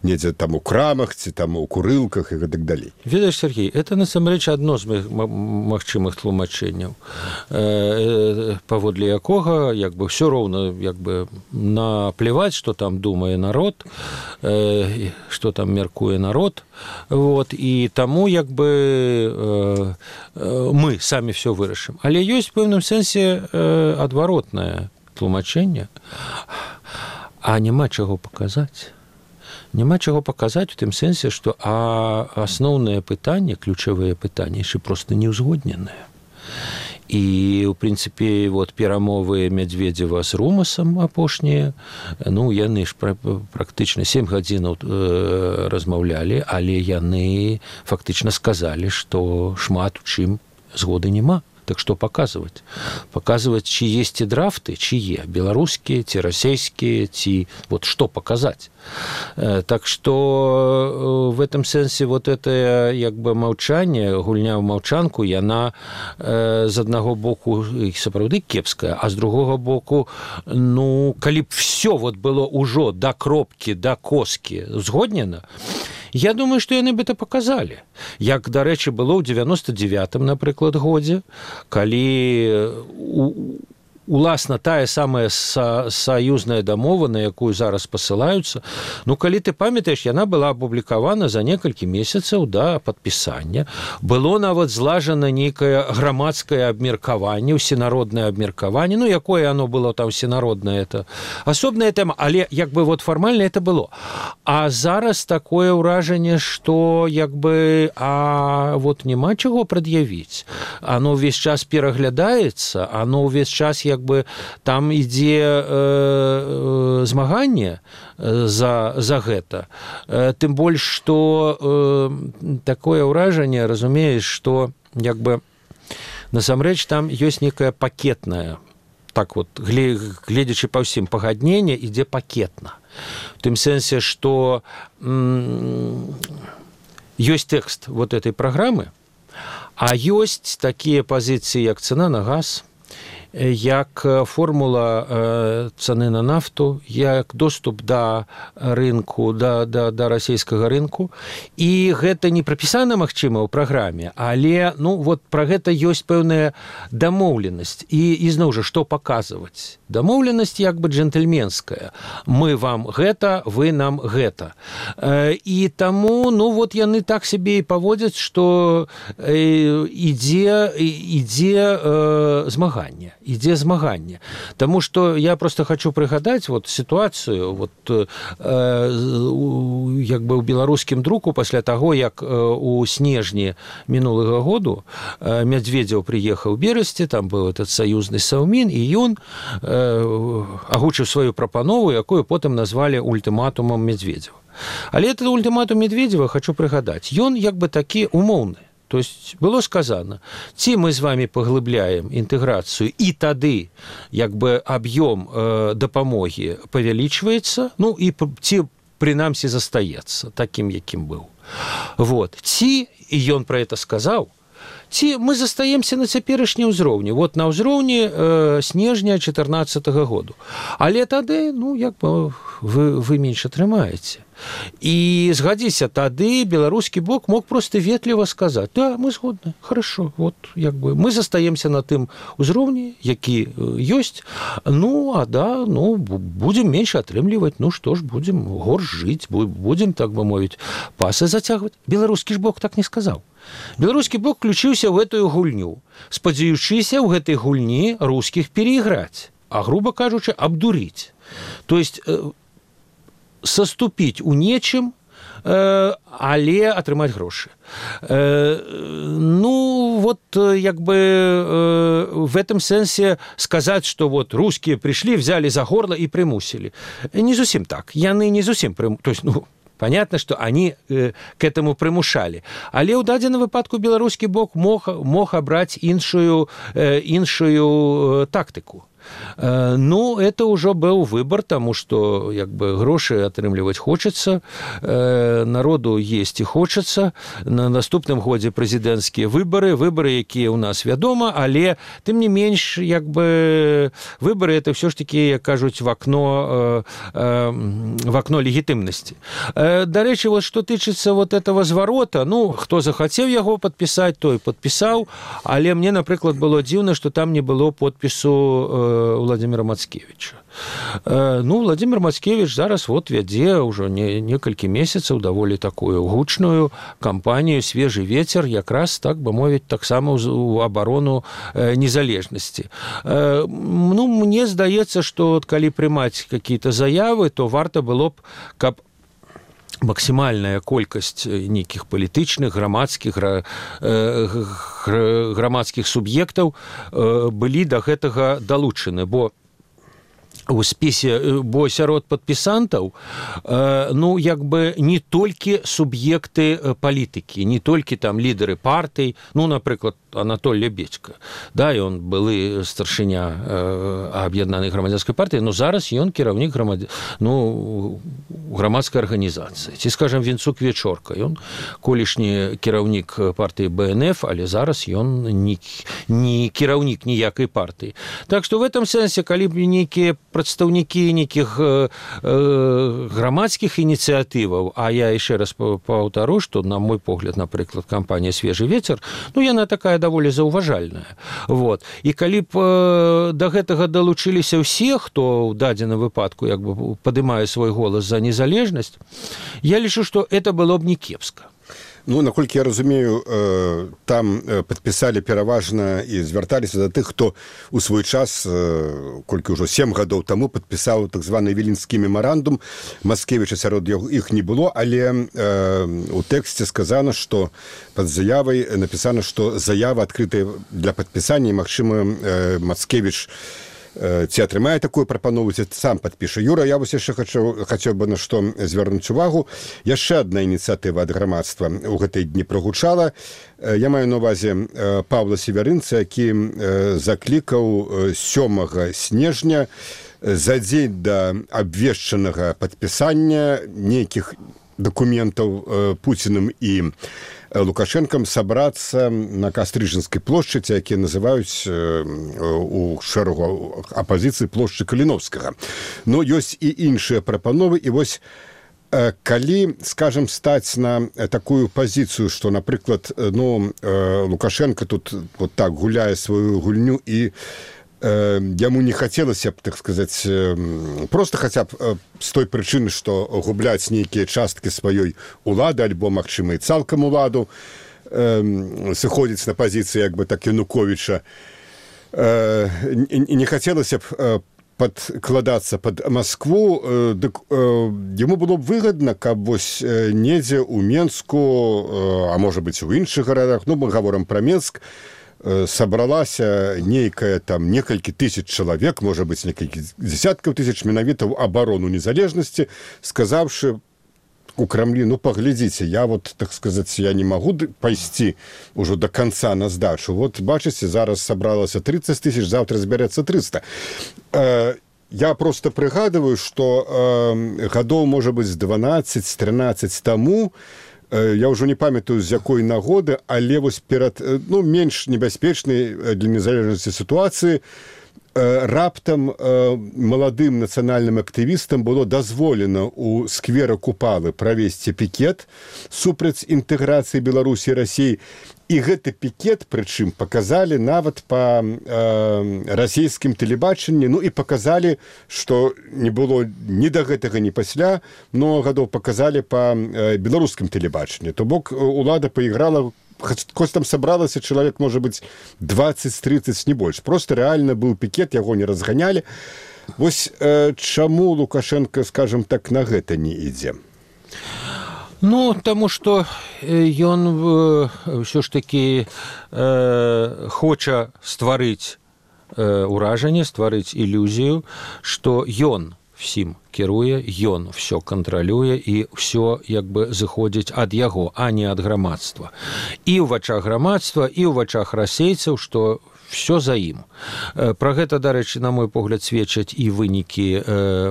S2: недзе там у крамах, ці там у курылках і гэтак далей.
S3: Ведаеш, Сергей, это, насамрэч, адно з магчымых тлумачэнняў, паводле якога, як бы, ўсё роўна, як бы, наплеваць, што там думае народ, што там мяркуе народ, вот, і таму, як бы, мы самі ўсё вырашым. Але ёсць в пэўным сэнсе адваротнае тлумачэнне, а няма чаго паказаць. Няма чаго паказаць у тым сэнсе, што асноўнае пытанне, ключавыя пытанні яшчэ проста не ўзгодненыя. І, у прынцыпе, вот, перамовы Мядзведзева з Румасам апошнія, ну, яны ж практычна 7 гадзінаў размаўлялі, але яны фактычна сказалі, што шмат у чым згоды няма. Так што паказваць? Паказваць, чые ці драфты, чые? Беларускія, ці расійскія, ці... Вот што паказаць? Так што в этом сэнсе вот это, як бы, маўчанне, гульня ў маўчанку, яна з аднаго боку сапраўды кепская, а з другога боку, ну, калі б всё вот было ўжо да кропкі, да коскі згоднена, я думаю, што яны бы это паказалі. Як, дарэчы, было ў 99-м, напрыклад, годзе, калі уласна тая самая саюзная дамова, на якую зараз пасылаюцца, ну, калі ты памятаеш, яна была апублікавана за некалькі месяцаў да падпісання. Было нават злажана нейкае грамадскае абмеркаванне, усенароднае абмеркаванне, ну, якое оно было там усенароднае, это асобная тэма, але, як бы, вот фармальна это было. А зараз такое ўражанне, што, як бы, вот няма чаго прад'явіць. Оно ўвесь час пераглядаецца, оно ўвесь час, як бы, там ідзе змаганне за гэта. Тым больш, што такое ўражанне, разумееш, што, як бы, насамрэч там ёсць некая пакетная, так вот, гледзячы па ўсім, пагадненне ідзе пакетна. В тым сэнсе, што ёсць тэкст вот этой праграмы, а ёсць такія пазіцыі, як цана на газ, як формула цаны на нафту, як доступ да рынку, да расійскага рынку. І гэта не прапісана, магчыма, ў праграме, але, ну, вот пра гэта ёсць пэўная дамоўленасць. І зноў жа, што паказваць? Дамоўленасць як бы джентльменская. Мы вам гэта, вы нам гэта. І таму, ну, вот яны так сябе і паводзяць, што ідзе змаганне. ідзе змаганне. Таму што я просто хочу прыгадаць вот сітуацыю вот, як бы ў беларускім друку пасля таго, як у снежні мінулага году Медведзеў прыехаў у Берасці, там быў этот саюзны Саўмін, і ён агучыў сваю прапанову, якую потым назвалі ультыматумам Медведзева. Але этот ультыматум Медведзева, хочу прыгадаць, ён як бы такі умоўны. То есть было сказано, ці мы з вами паглыбляем інтэграцыю, і тады як бы аб'ём дапамогі павялічваецца, ну і ці прынамсі застаецца такім, якім быў. Вот. Ці, і ён пра это сказаў, ці мы застаемся на цяперашні ўзроўні, вот на ўзроўні снежня 2014 году. Але тады, ну, як бы вы менш атрымаеце. І згадзіся, тады беларускі бок мог просто ветліва сказаць: да, мы згодны, хорошо, вот, як бы мы застаемся на тым узроўні, які ёсць, ну, а да, ну, будзем менш атрымліваць, ну, што ж, будзем горш жыць, будзем, так бы мовіць, пасы зацягваць. Беларускі ж бок так не сказаў. Беларускі бок включыўся ў гэтую гульню, спадзяючыся ў гэтай гульні рускіх перайграць, а, грубо кажучы, абдурыць. То есть саступіць у нечым, але атрымаць грошы. Ну, вот, як бы в этом сэнсе сказаць, што вот рускія прыйшлі, взяли за горло і прымусілі. Не зусім так. Яны не зусім прымусілі. То есть, ну, понятно, что они к этому примушали. Але ў дадзеным выпадку беларускі бок мог абраць іншую тактыку. Ну, это уже был выбор, тому что як бы гроши атрымліваць хочется, народу есть и хочется. На наступным годзе прэзідэнцкія выборы, якія у нас вядома, але тым не менш, як бы выборы это все ж таки, як кажуць, в окно легітымнасці. Дарэчы, вот что тычыцца вот этого зварота, ну, хто захацеў яго падпісаць, той падпісаў, але мне, напрыклад, было дзіўна, что там не было подпісу Владимира Мацкевича. Ну, Владимир Мацкевич зараз вот вядзе ўжо некалькі месяцаў даволі такую гучную кампанію «Свежий ветер», якраз, так бы мовіць, таксама ў абарону незалежнасці. Ну, мне здаецца, што калі прымаць какие-то заявы, то варта было б, каб максімальная колькасць нейкіх палітычных, грамадскіх суб'ектаў былі да гэтага далучаны, бо у спісе, бо сярод падпісантаў, ну, як бы не толькі суб'екты палітыкі, не толькі там лідары партый, ну, напрыклад, Анатоль Лебедько, да, ён былы старшыня аб'яднанай грамадзянскай партыі, но зараз ён кіраўнік грамадскай арганізацыі. Ці, скажам, Вінцук Вечорка, ён колішні кіраўнік партыі БНФ, але зараз ён не кіраўнік ніякай партыі. Так што в этом сэнсе, калі б нейкія прадстаўнікі нейкіх грамадскіх ініцыятываў, а я яшчэ раз паўтару, што, на мой погляд, напрыклад, кампанія «Свежий ветер», ну, яна такая даволі заўважальная. Вот. І калі б да гэтага далучыліся ўсе, хто ў дадзеным выпадку як бы падымае свой голас за незалежнасць, я лічу, што это было б не кепска.
S2: Ну, наколькі я разумею, там падпісалі пераважна і звярталіся да тых, хто у свой час, колькі ўжо 7 гадоў таму, падпісаў так званы Віленскі мемарандум. Мацкевіча сярод іх не было, але у тэксце сказана, што пад заявай напісана, што заява адкрытая для падпісання, і, магчыма, Мацкевіч ці атрымае такую прапанову, ці сам падпіша. Юра, я вось яшчэ хацеў бы на што звярнуць увагу. Яшчэ адна ініцыятыва ад грамадства ў гэтай дні прагучала. Я маю на ўвазе Павла Севярынца, які заклікаў 7 снежня за дзень да абвешчанага падпісання нейкіх дакументаў Пуціным і Лукашенкам сабрацца на Кастрыжанскай плошчы, якія называюць у шэрагу апазіцыі плошчы Каліновскага. Но ёсць і іншыя прапановы, і вось калі, скажам, стаць на такую пазіцыю, што, напрыклад, ну, Лукашенко тут вот так гуляе сваю гульню, і яму не хацелася б, так сказаць, просто хаця б з той прычыны, што губляць нейкія часткі сваёй улады, альбо, магчыма, і цалкам уладу, сыходзіць на пазіцыі, як бы так, Януковіча. не хацелася б падкладацца под Москву, дык яму было б выгадна, каб вось недзе ў Менску, а можа быць у іншых гарадах, ну мы гаворам пра Менск, сабралася нейкая там некалькі тысяч чалавек, можа быць некалькі дзесяткаў тысяч менавіта ў абарону незалежнасці, сказаўшы у Крамлі, ну паглядзіце, я вот, так сказаць, я не магу пайсці ўжо до конца на здачу. Вот бачыце, зараз сабралася 30 тысяч, завтра збярэцца 300. Я просто прыгадываю, што гадоў, можа быць, 12-13 таму, я ўжо не памятаю, з якой нагоды, але вось перад, ну, менш небяспечнай для незалежнасці сітуацыі, раптам маладым нацыянальным актывістам было дазволена ў сквера Купалы правесці пікет супраць інтэграцыі Беларусі і Расіі. І гэты пікет, прычым, паказалі нават па расійскім тэлебачанні, ну і паказалі, што не было ні да гэтага, ні пасля, много гадоў паказалі па беларускім тэлебачанні. То бок улада пайграла, хоць там сабралася чалавек, можа быць, 20-30, не больш. Просто рэальна быў пікет, яго не разганялі. Вось чаму Лукашенко, скажем так, на гэта не ідзе?
S3: Ну, таму што ён ўсё ж такі хоча стварыць ўражанне, стварыць ілюзію, што ён всім кіруе, ён все кантралюе і все як бы зыходзіць ад яго, а не ад грамадства. І ў вачах грамадства, і ў вачах расейцаў, што все за ім. Пра гэта, дарэчы, на мой погляд, сведчаць і вынікі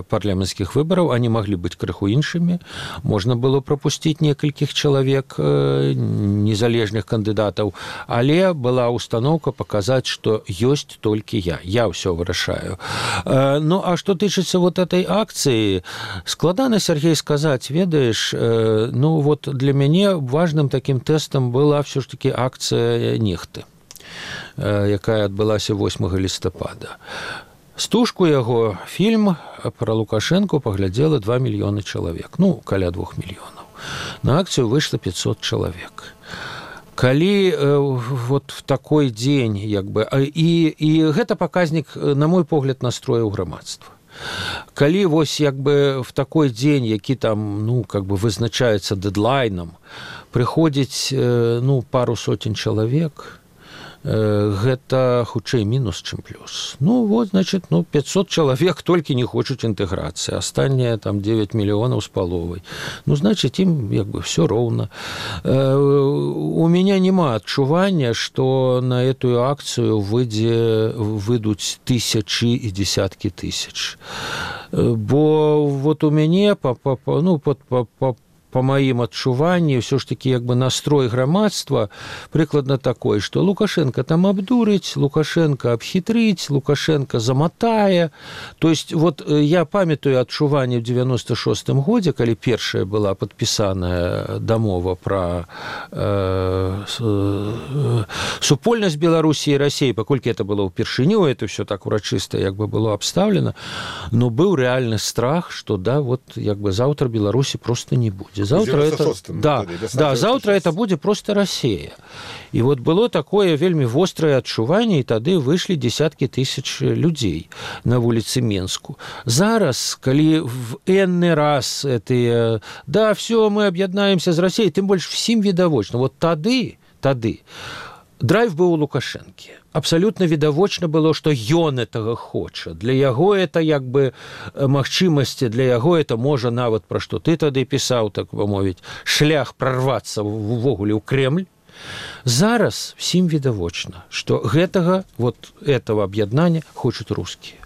S3: парламенцкіх выбараў, они маглі быць крыху іншымі. Можна было прапусціць некалькіх чалавек незалежных кандыдатаў, але была установка паказаць, што ёсць толькі я ўсё вырашаю. Ну, а што тычыцца вот этой акцыі, складана, Сергей, сказаць, ведаеш, ну, вот для мяне важным таким тэстам была все ж таки акцыя Нехты, якая адбылася 8 лістапада. Стужку яго фільм пра Лукашэнку паглядзела 2 мільёны чалавек, ну, каля 2 мільёнаў. На акцыю выйшла 500 чалавек. Калі вот в такой дзень, як бы, і гэта паказнік, на мой погляд, настрояў грамадства. Калі вось як бы в такой дзень, які там, ну, как бы вызначаецца дэдлайнам, прыходзіць, ну, пару сотень чалавек, гэта хутчэй мінус, чым плюс. Ну, вот, значит, ну, 500 чалавек толькі не хочуць інтэграцыі, астатнія там 9 мільёнаў з паловай. Ну, значит, ім як бы все роўна. У меня няма адчування, што на эту акцыю выйдуць тысячи і десяткі тысяч. Бо вот у мяне по маім адчуванні, ўсё ж такі як бы настрой грамадства прыкладна такой, што Лукашенко там абдурыць, Лукашенко абхітрыць, Лукашенко заматае. То есть вот я памятаю адчуванне ў 96-м годзе, калі першая была падпісаная дамова пра супольнасць Беларусі і Расіі, паколькі это было ўпершыню, это все так урачыста як бы было абстаўлена, но быў рэальны страх, што да, вот як бы заўтра Беларусі просто не будзе. Завтра завтра это будет просто Россия. И вот было такое вельмі вострое адчуванне, и тады вышлі десятки тысяч людей на вуліцы Менску. Зараз, калі в энны раз это, да, все, мы об'яднаемся з Россией, тым больш всім відавочна. Вот тады драйв быў у Лукашэнкі. Абсолютно відавочна было, што ён гэтага хоча. Для яго это як бы магчымасці, для яго это можа нават пра што ты тады пісаў, так бы мовіць, шлях прорвацца увогуле ў Кремль. Зараз всім відавочна, што гэтага, вот этого аб'яднання хочуць рускія.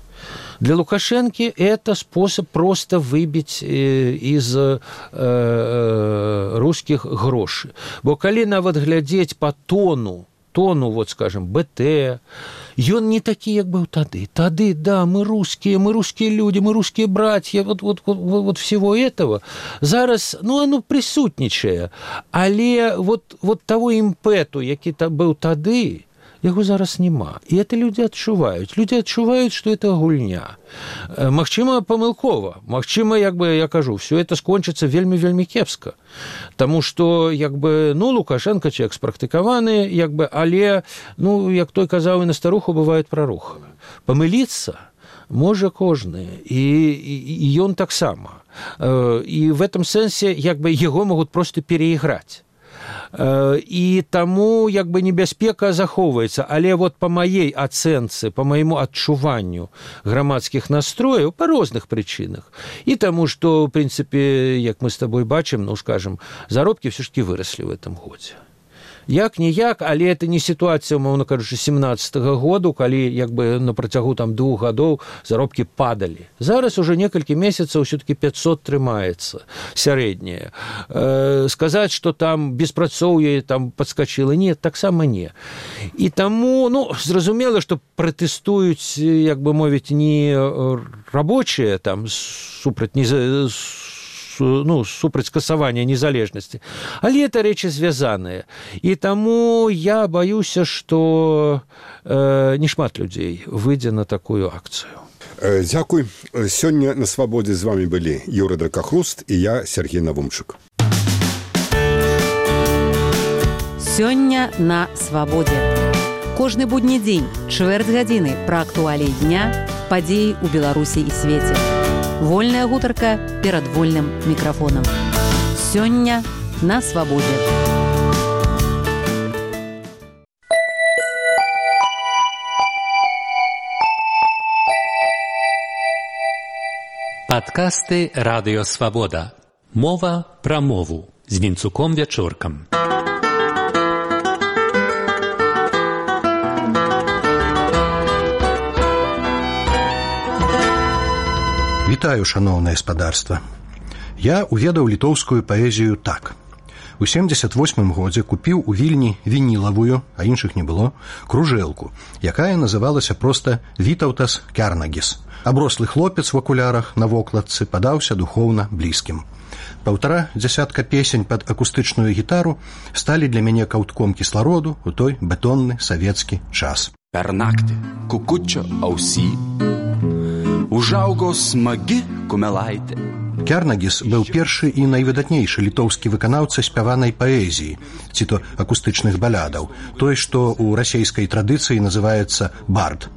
S3: Для Лукашенки это способ просто выбить из русских гроши. Бо калі нават глядзець по тону, вот, скажем, БТ, ён не такі, як быў тады. Тады, да, мы русские люди, мы русские братья, вот всего этого. Зараз, ну, оно присутнічае. Але вот того імпэту, які быў тады, яго зараз няма. І это людзі адчуваюць. Людзі адчуваюць, што это гульня. Магчыма, памылкова. Магчыма, як бы я кажу, все это скончыцца вельмі-вельмі кепска. Таму што, як бы, Лукашенко чалавек спрактыкаваны, як бы, але, як той казаў, і на старуху бывает праруха. Памыліцца можа кожны, і ён таксама. І в этом сэнсе, як бы, яго могуць проста пераіграць. І таму як бы небяспека захоўваецца, але вот по маей ацэнцы, по майму адчуванню грамадскіх настрояў па розных прычынах. І таму, што, в прынцыпе, як мы з табой бачым, скажем, заробкі ўсё ж таки выраслі в этом годзе. Як-ніяк, але это не сітуацыя, умоўна кажучы, 17-го году, калі як бы на працягу 2 гадоў заробкі падалі. Зараз уже некалькі месяцаў ўсё-таки 500 трымаецца сярэдняе. Сказаць, што там беспрацоўе там падскачыла, не, таксама не. І таму, зразумела, што пратэстуюць, як бы мовіць, не рабочыя там супраць супраць скасавання незалежнасці. Але это рэчы звязаныя. І таму я баюся, што нешмат людзей выйдзе на такую акцыю.
S2: Дзякуй. Сёння на свабодзе з вами былі Юра Дракахруст і я, Сергей Навумчык.
S1: Сёння на свабодзе. Кожны будні дзень, чвэрць гадзіны пра актуаліі дня, падзеі ў Беларусі і свеце. Вольная гутарка перад вольным мікрафонам. Сёння на свабодзе.
S4: Падкасты Радыё Свабода. Мова пра мову з Вінцуком Вячоркам.
S5: Вітаю, шаноўнае спадарства. Я уведаў літоўскую паэзію так. У 78 годзе купіў у Вільні вінілавую, а іншых не было, кружэлку, якая называлася проста Вітаўтас Кярнагіс. Аброслы хлопец в акулярах на вокладцы падаўся духоўна блізкім. 1,5 дзясятка песень пад акустычную гітару сталі для мяне каўтком кіслароду у той бетонны савецкі час.
S6: Per naktį kukučio ausy užaugo smagi kumelaitė.
S5: Кярнагіс быў першы і найвыдатнейшы літоўскі выканаўца спяванай паэзіі, ці то акустычных балядаў, той, што ў расейскай традыцыі называецца бард.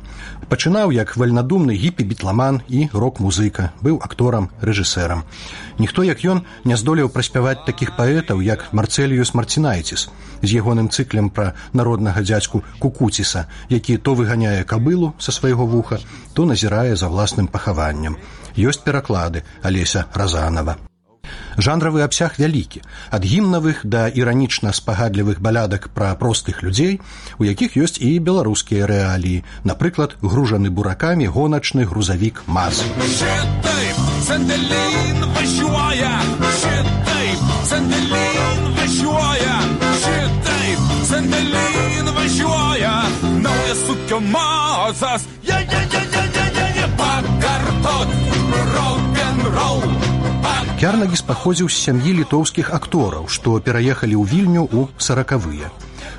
S5: Пачынаў як вальнадумны гіпі-бітламан і рок-музыка, быў акторам, рэжысэрам. Ніхто, як ён, не здолеў праспяваць такіх паэтаў, як Марцэліюс Марцінайціс, з ягоным цыклем пра народнага дзядзьку Кукуціса, які то выганяе кабылу са свайго вуха, то назірае за власным пахаваннем. Ёсць пераклады Алеся Разанова. Жанравы абсяг вялікі, ад гімнавых да іранічна-спагадлівых балядак пра простых людзей, у якіх ёсць і беларускія рэаліі, напрыклад, гружаны буракамі гоначны грузавік МАЗ.
S6: Šitaip Sandelin važiuoja, šitaip Sandelin važiuoja, šitaip Sandelin važiuoja, naujas ūkio mazas, pakartot rock'n'roll.
S5: Кярнагіс паходзіў з сям'і літоўскіх актораў, што пераехалі ў Вільню ў 40-е.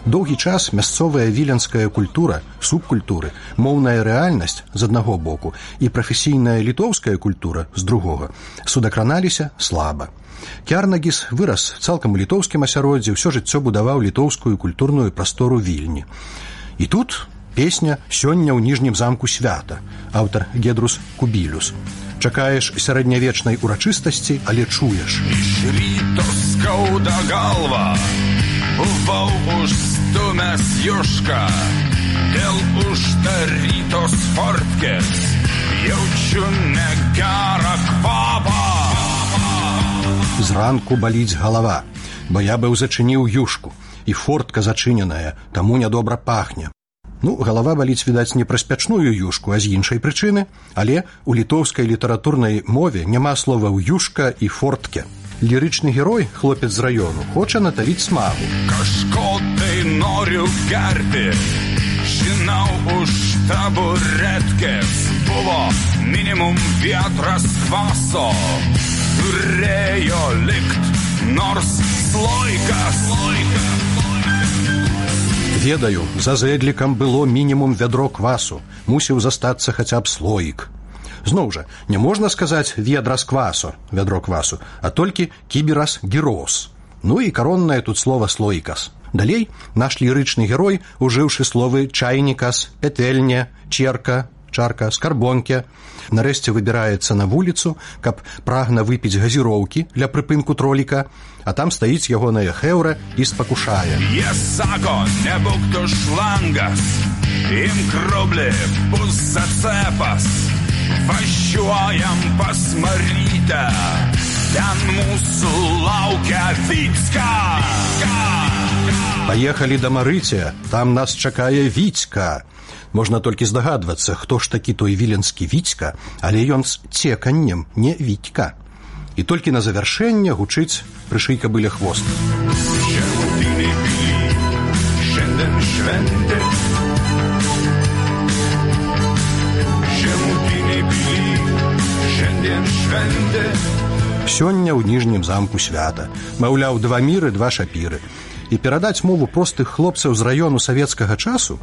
S5: Доўгі час мясцовая віленская культура, субкультуры, моўная рэальнасць з аднаго боку і прафесійная літоўская культура з другога судакраналіся слаба. Кярнагіс вырас цалкам у літоўскім асяроддзі, ўсё жыццё будаваў літоўскую культурную прастору Вільні. І тут песня «Сёння ў ніжнім замку свята», аўтар Гедрус Кубілюс. Чакаеш сярэднявечнай урачыстасці, але чуеш.
S6: Ryto skauda galva, buvau užstumęs jušką, dėl uždarytos fortkės jaučiu negerą kvapą.
S5: Зранку баліць галава, бо я быў зачыніў юшку, і фортка зачыненая, таму нядобра пахне. Галава баліць, відаць, не праз пячную юшку, а з іншай прычыны, але у літоўскай літаратурнай мове няма словаў юшка і фортке. Лірычны герой, хлопец з раёну, хоча натавіць смагу.
S6: Kažko tai noriu gerti, žinau už taburetkės buvo minimum vietras kvaso, turėjo likt nors sloikas.
S5: Ведаю, за зэдлікам было мінімум вядро квасу, мусіў застацца хаця б слоік. Зноў жа, не можна сказаць ведра з квасу, вядро квасу, а толькі кіберас гірос. Ну і короннае тут слова слоікас. Далей наш лірычны герой, ужыўшы словы чайнікас, петэльня, черка, чарка, скарбонке, нарэшце выбіраецца на вуліцу, каб прагна выпіць газіроўкі для прыпынку троліка, а там стаіць ягоная хэўра і спакушае.
S6: Єсако, не бук шлангас, ім кроблі пуззацепас, ващуаям посмотрите, тян мусу лаўка Віцька.
S5: Паехалі да Марыця, там нас чакае Віцька. Можна толькі здагадвацца, хто ж такі той віленскі Віцька, але ён з цеканнем, не Вітька. І толькі на завяршэнне гучыць прышый кабыля хвост. Сёння ў ніжнім замку свята. Маўляў, два міры, два шапіры. І перадаць мову простых хлопцаў з раёну савецкага часу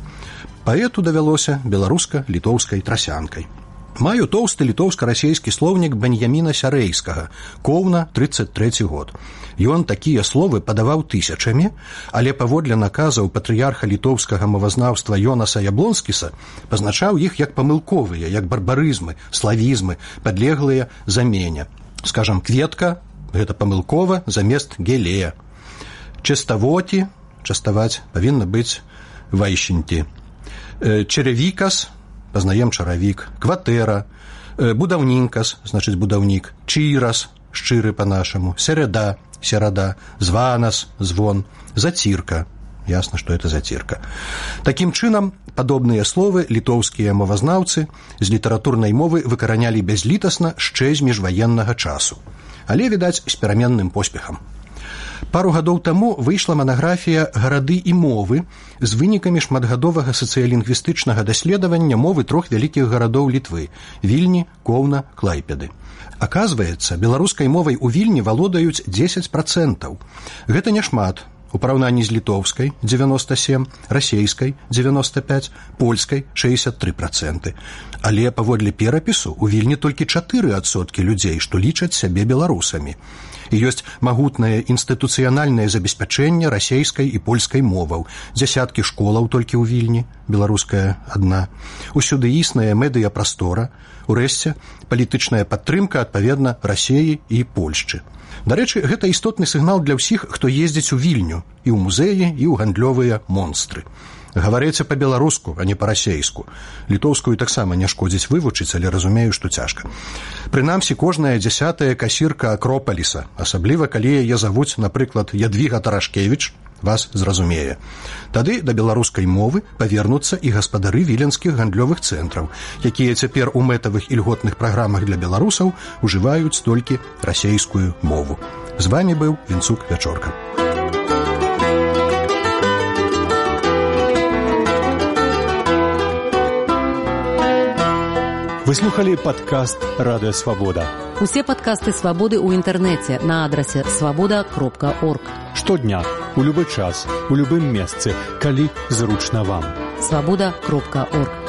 S5: паэту давялося беларуска-літоўскай трасянкай. Маю тоўсты літоўска-расейскі слоўнік Беньяміна Сярэйскага, Коўна, 33 год. Ён такія словы падаваў тысячамі, але паводле наказаў патрыярха літоўскага мовазнаўства Йонаса Яблонскіса пазначаў іх як памылковыя, як барбарызмы, славізмы, падлеглыя замене. Скажам, кветка – гэта памылкова замест гелея. Частавоці, частаваць, павінна быць вайшеньці. Чаравікас, пазнаем чаравік. Кватэра, будаўнінкас, значыць будаўнік. Чырас, шчыры па-нашаму. Середа, серада. Званас, звон. Зацірка. Ясна, што это зацірка. Такім чынам, падобныя словы літоўскія мовазнаўцы з літаратурнай мовы выкаранялі бязлітасна шчэ з міжваеннага часу. Але, відаць, з пераменным поспехам. Пару гадоў таму выйшла манаграфія «Гарады і мовы» з вынікамі шматгадовага сацыялінгвістычнага даследавання мовы трох вялікіх гарадоў Літвы – Вільні, Коўна, Клайпеды. Аказваецца, беларускай мовай у Вільні валодаюць 10%. Гэта няшмат. У параўнанні з літоўскай – 97%, расейскай – 95%, польскай – 63%. Але паводле перапісу у Вільні толькі 4% людзей, што лічаць сябе беларусамі. І ёсць магутнае інстытуцыянальнае забеспячэнне расейскай і польскай моваў. Дзясяткі школаў толькі ў Вільні, беларуская адна. Усюды існая медыяпрастора. Урэшце, палітычная падтрымка, адпаведна, Расеі і Польшчы. Дарэчы, гэта істотны сігнал для ўсіх, хто ездзіць у Вільню, і ў музеі, і ў гандлёвыя монстры. Гаварэце па-беларуску, а не па-расейску. Літоўскую таксама не шкодзіць вывучыць, але разумею, што цяжка. Прынамсі, кожная 10-я касірка Акропаліса, асабліва калі яе завуць, напрыклад, Ядвіга Тарашкевіч, вас зразумее. Тады да беларускай мовы павернуцца і гаспадары віленскіх гандлёвых цэнтраў, якія цяпер у мэтавых і льготных праграмах для беларусаў ужываюць толькі расейскую мову. З вамі быў Вінцук Вячорка.
S7: Вы слухали падкаст «Радыё Свабода».
S1: Усе падкасты «Свабоды» ў інтэрнэце на адрасе свабода.орг.
S7: Штодня, у любы час, у любым месцы, калі зручна вам.
S1: Свабода.орг.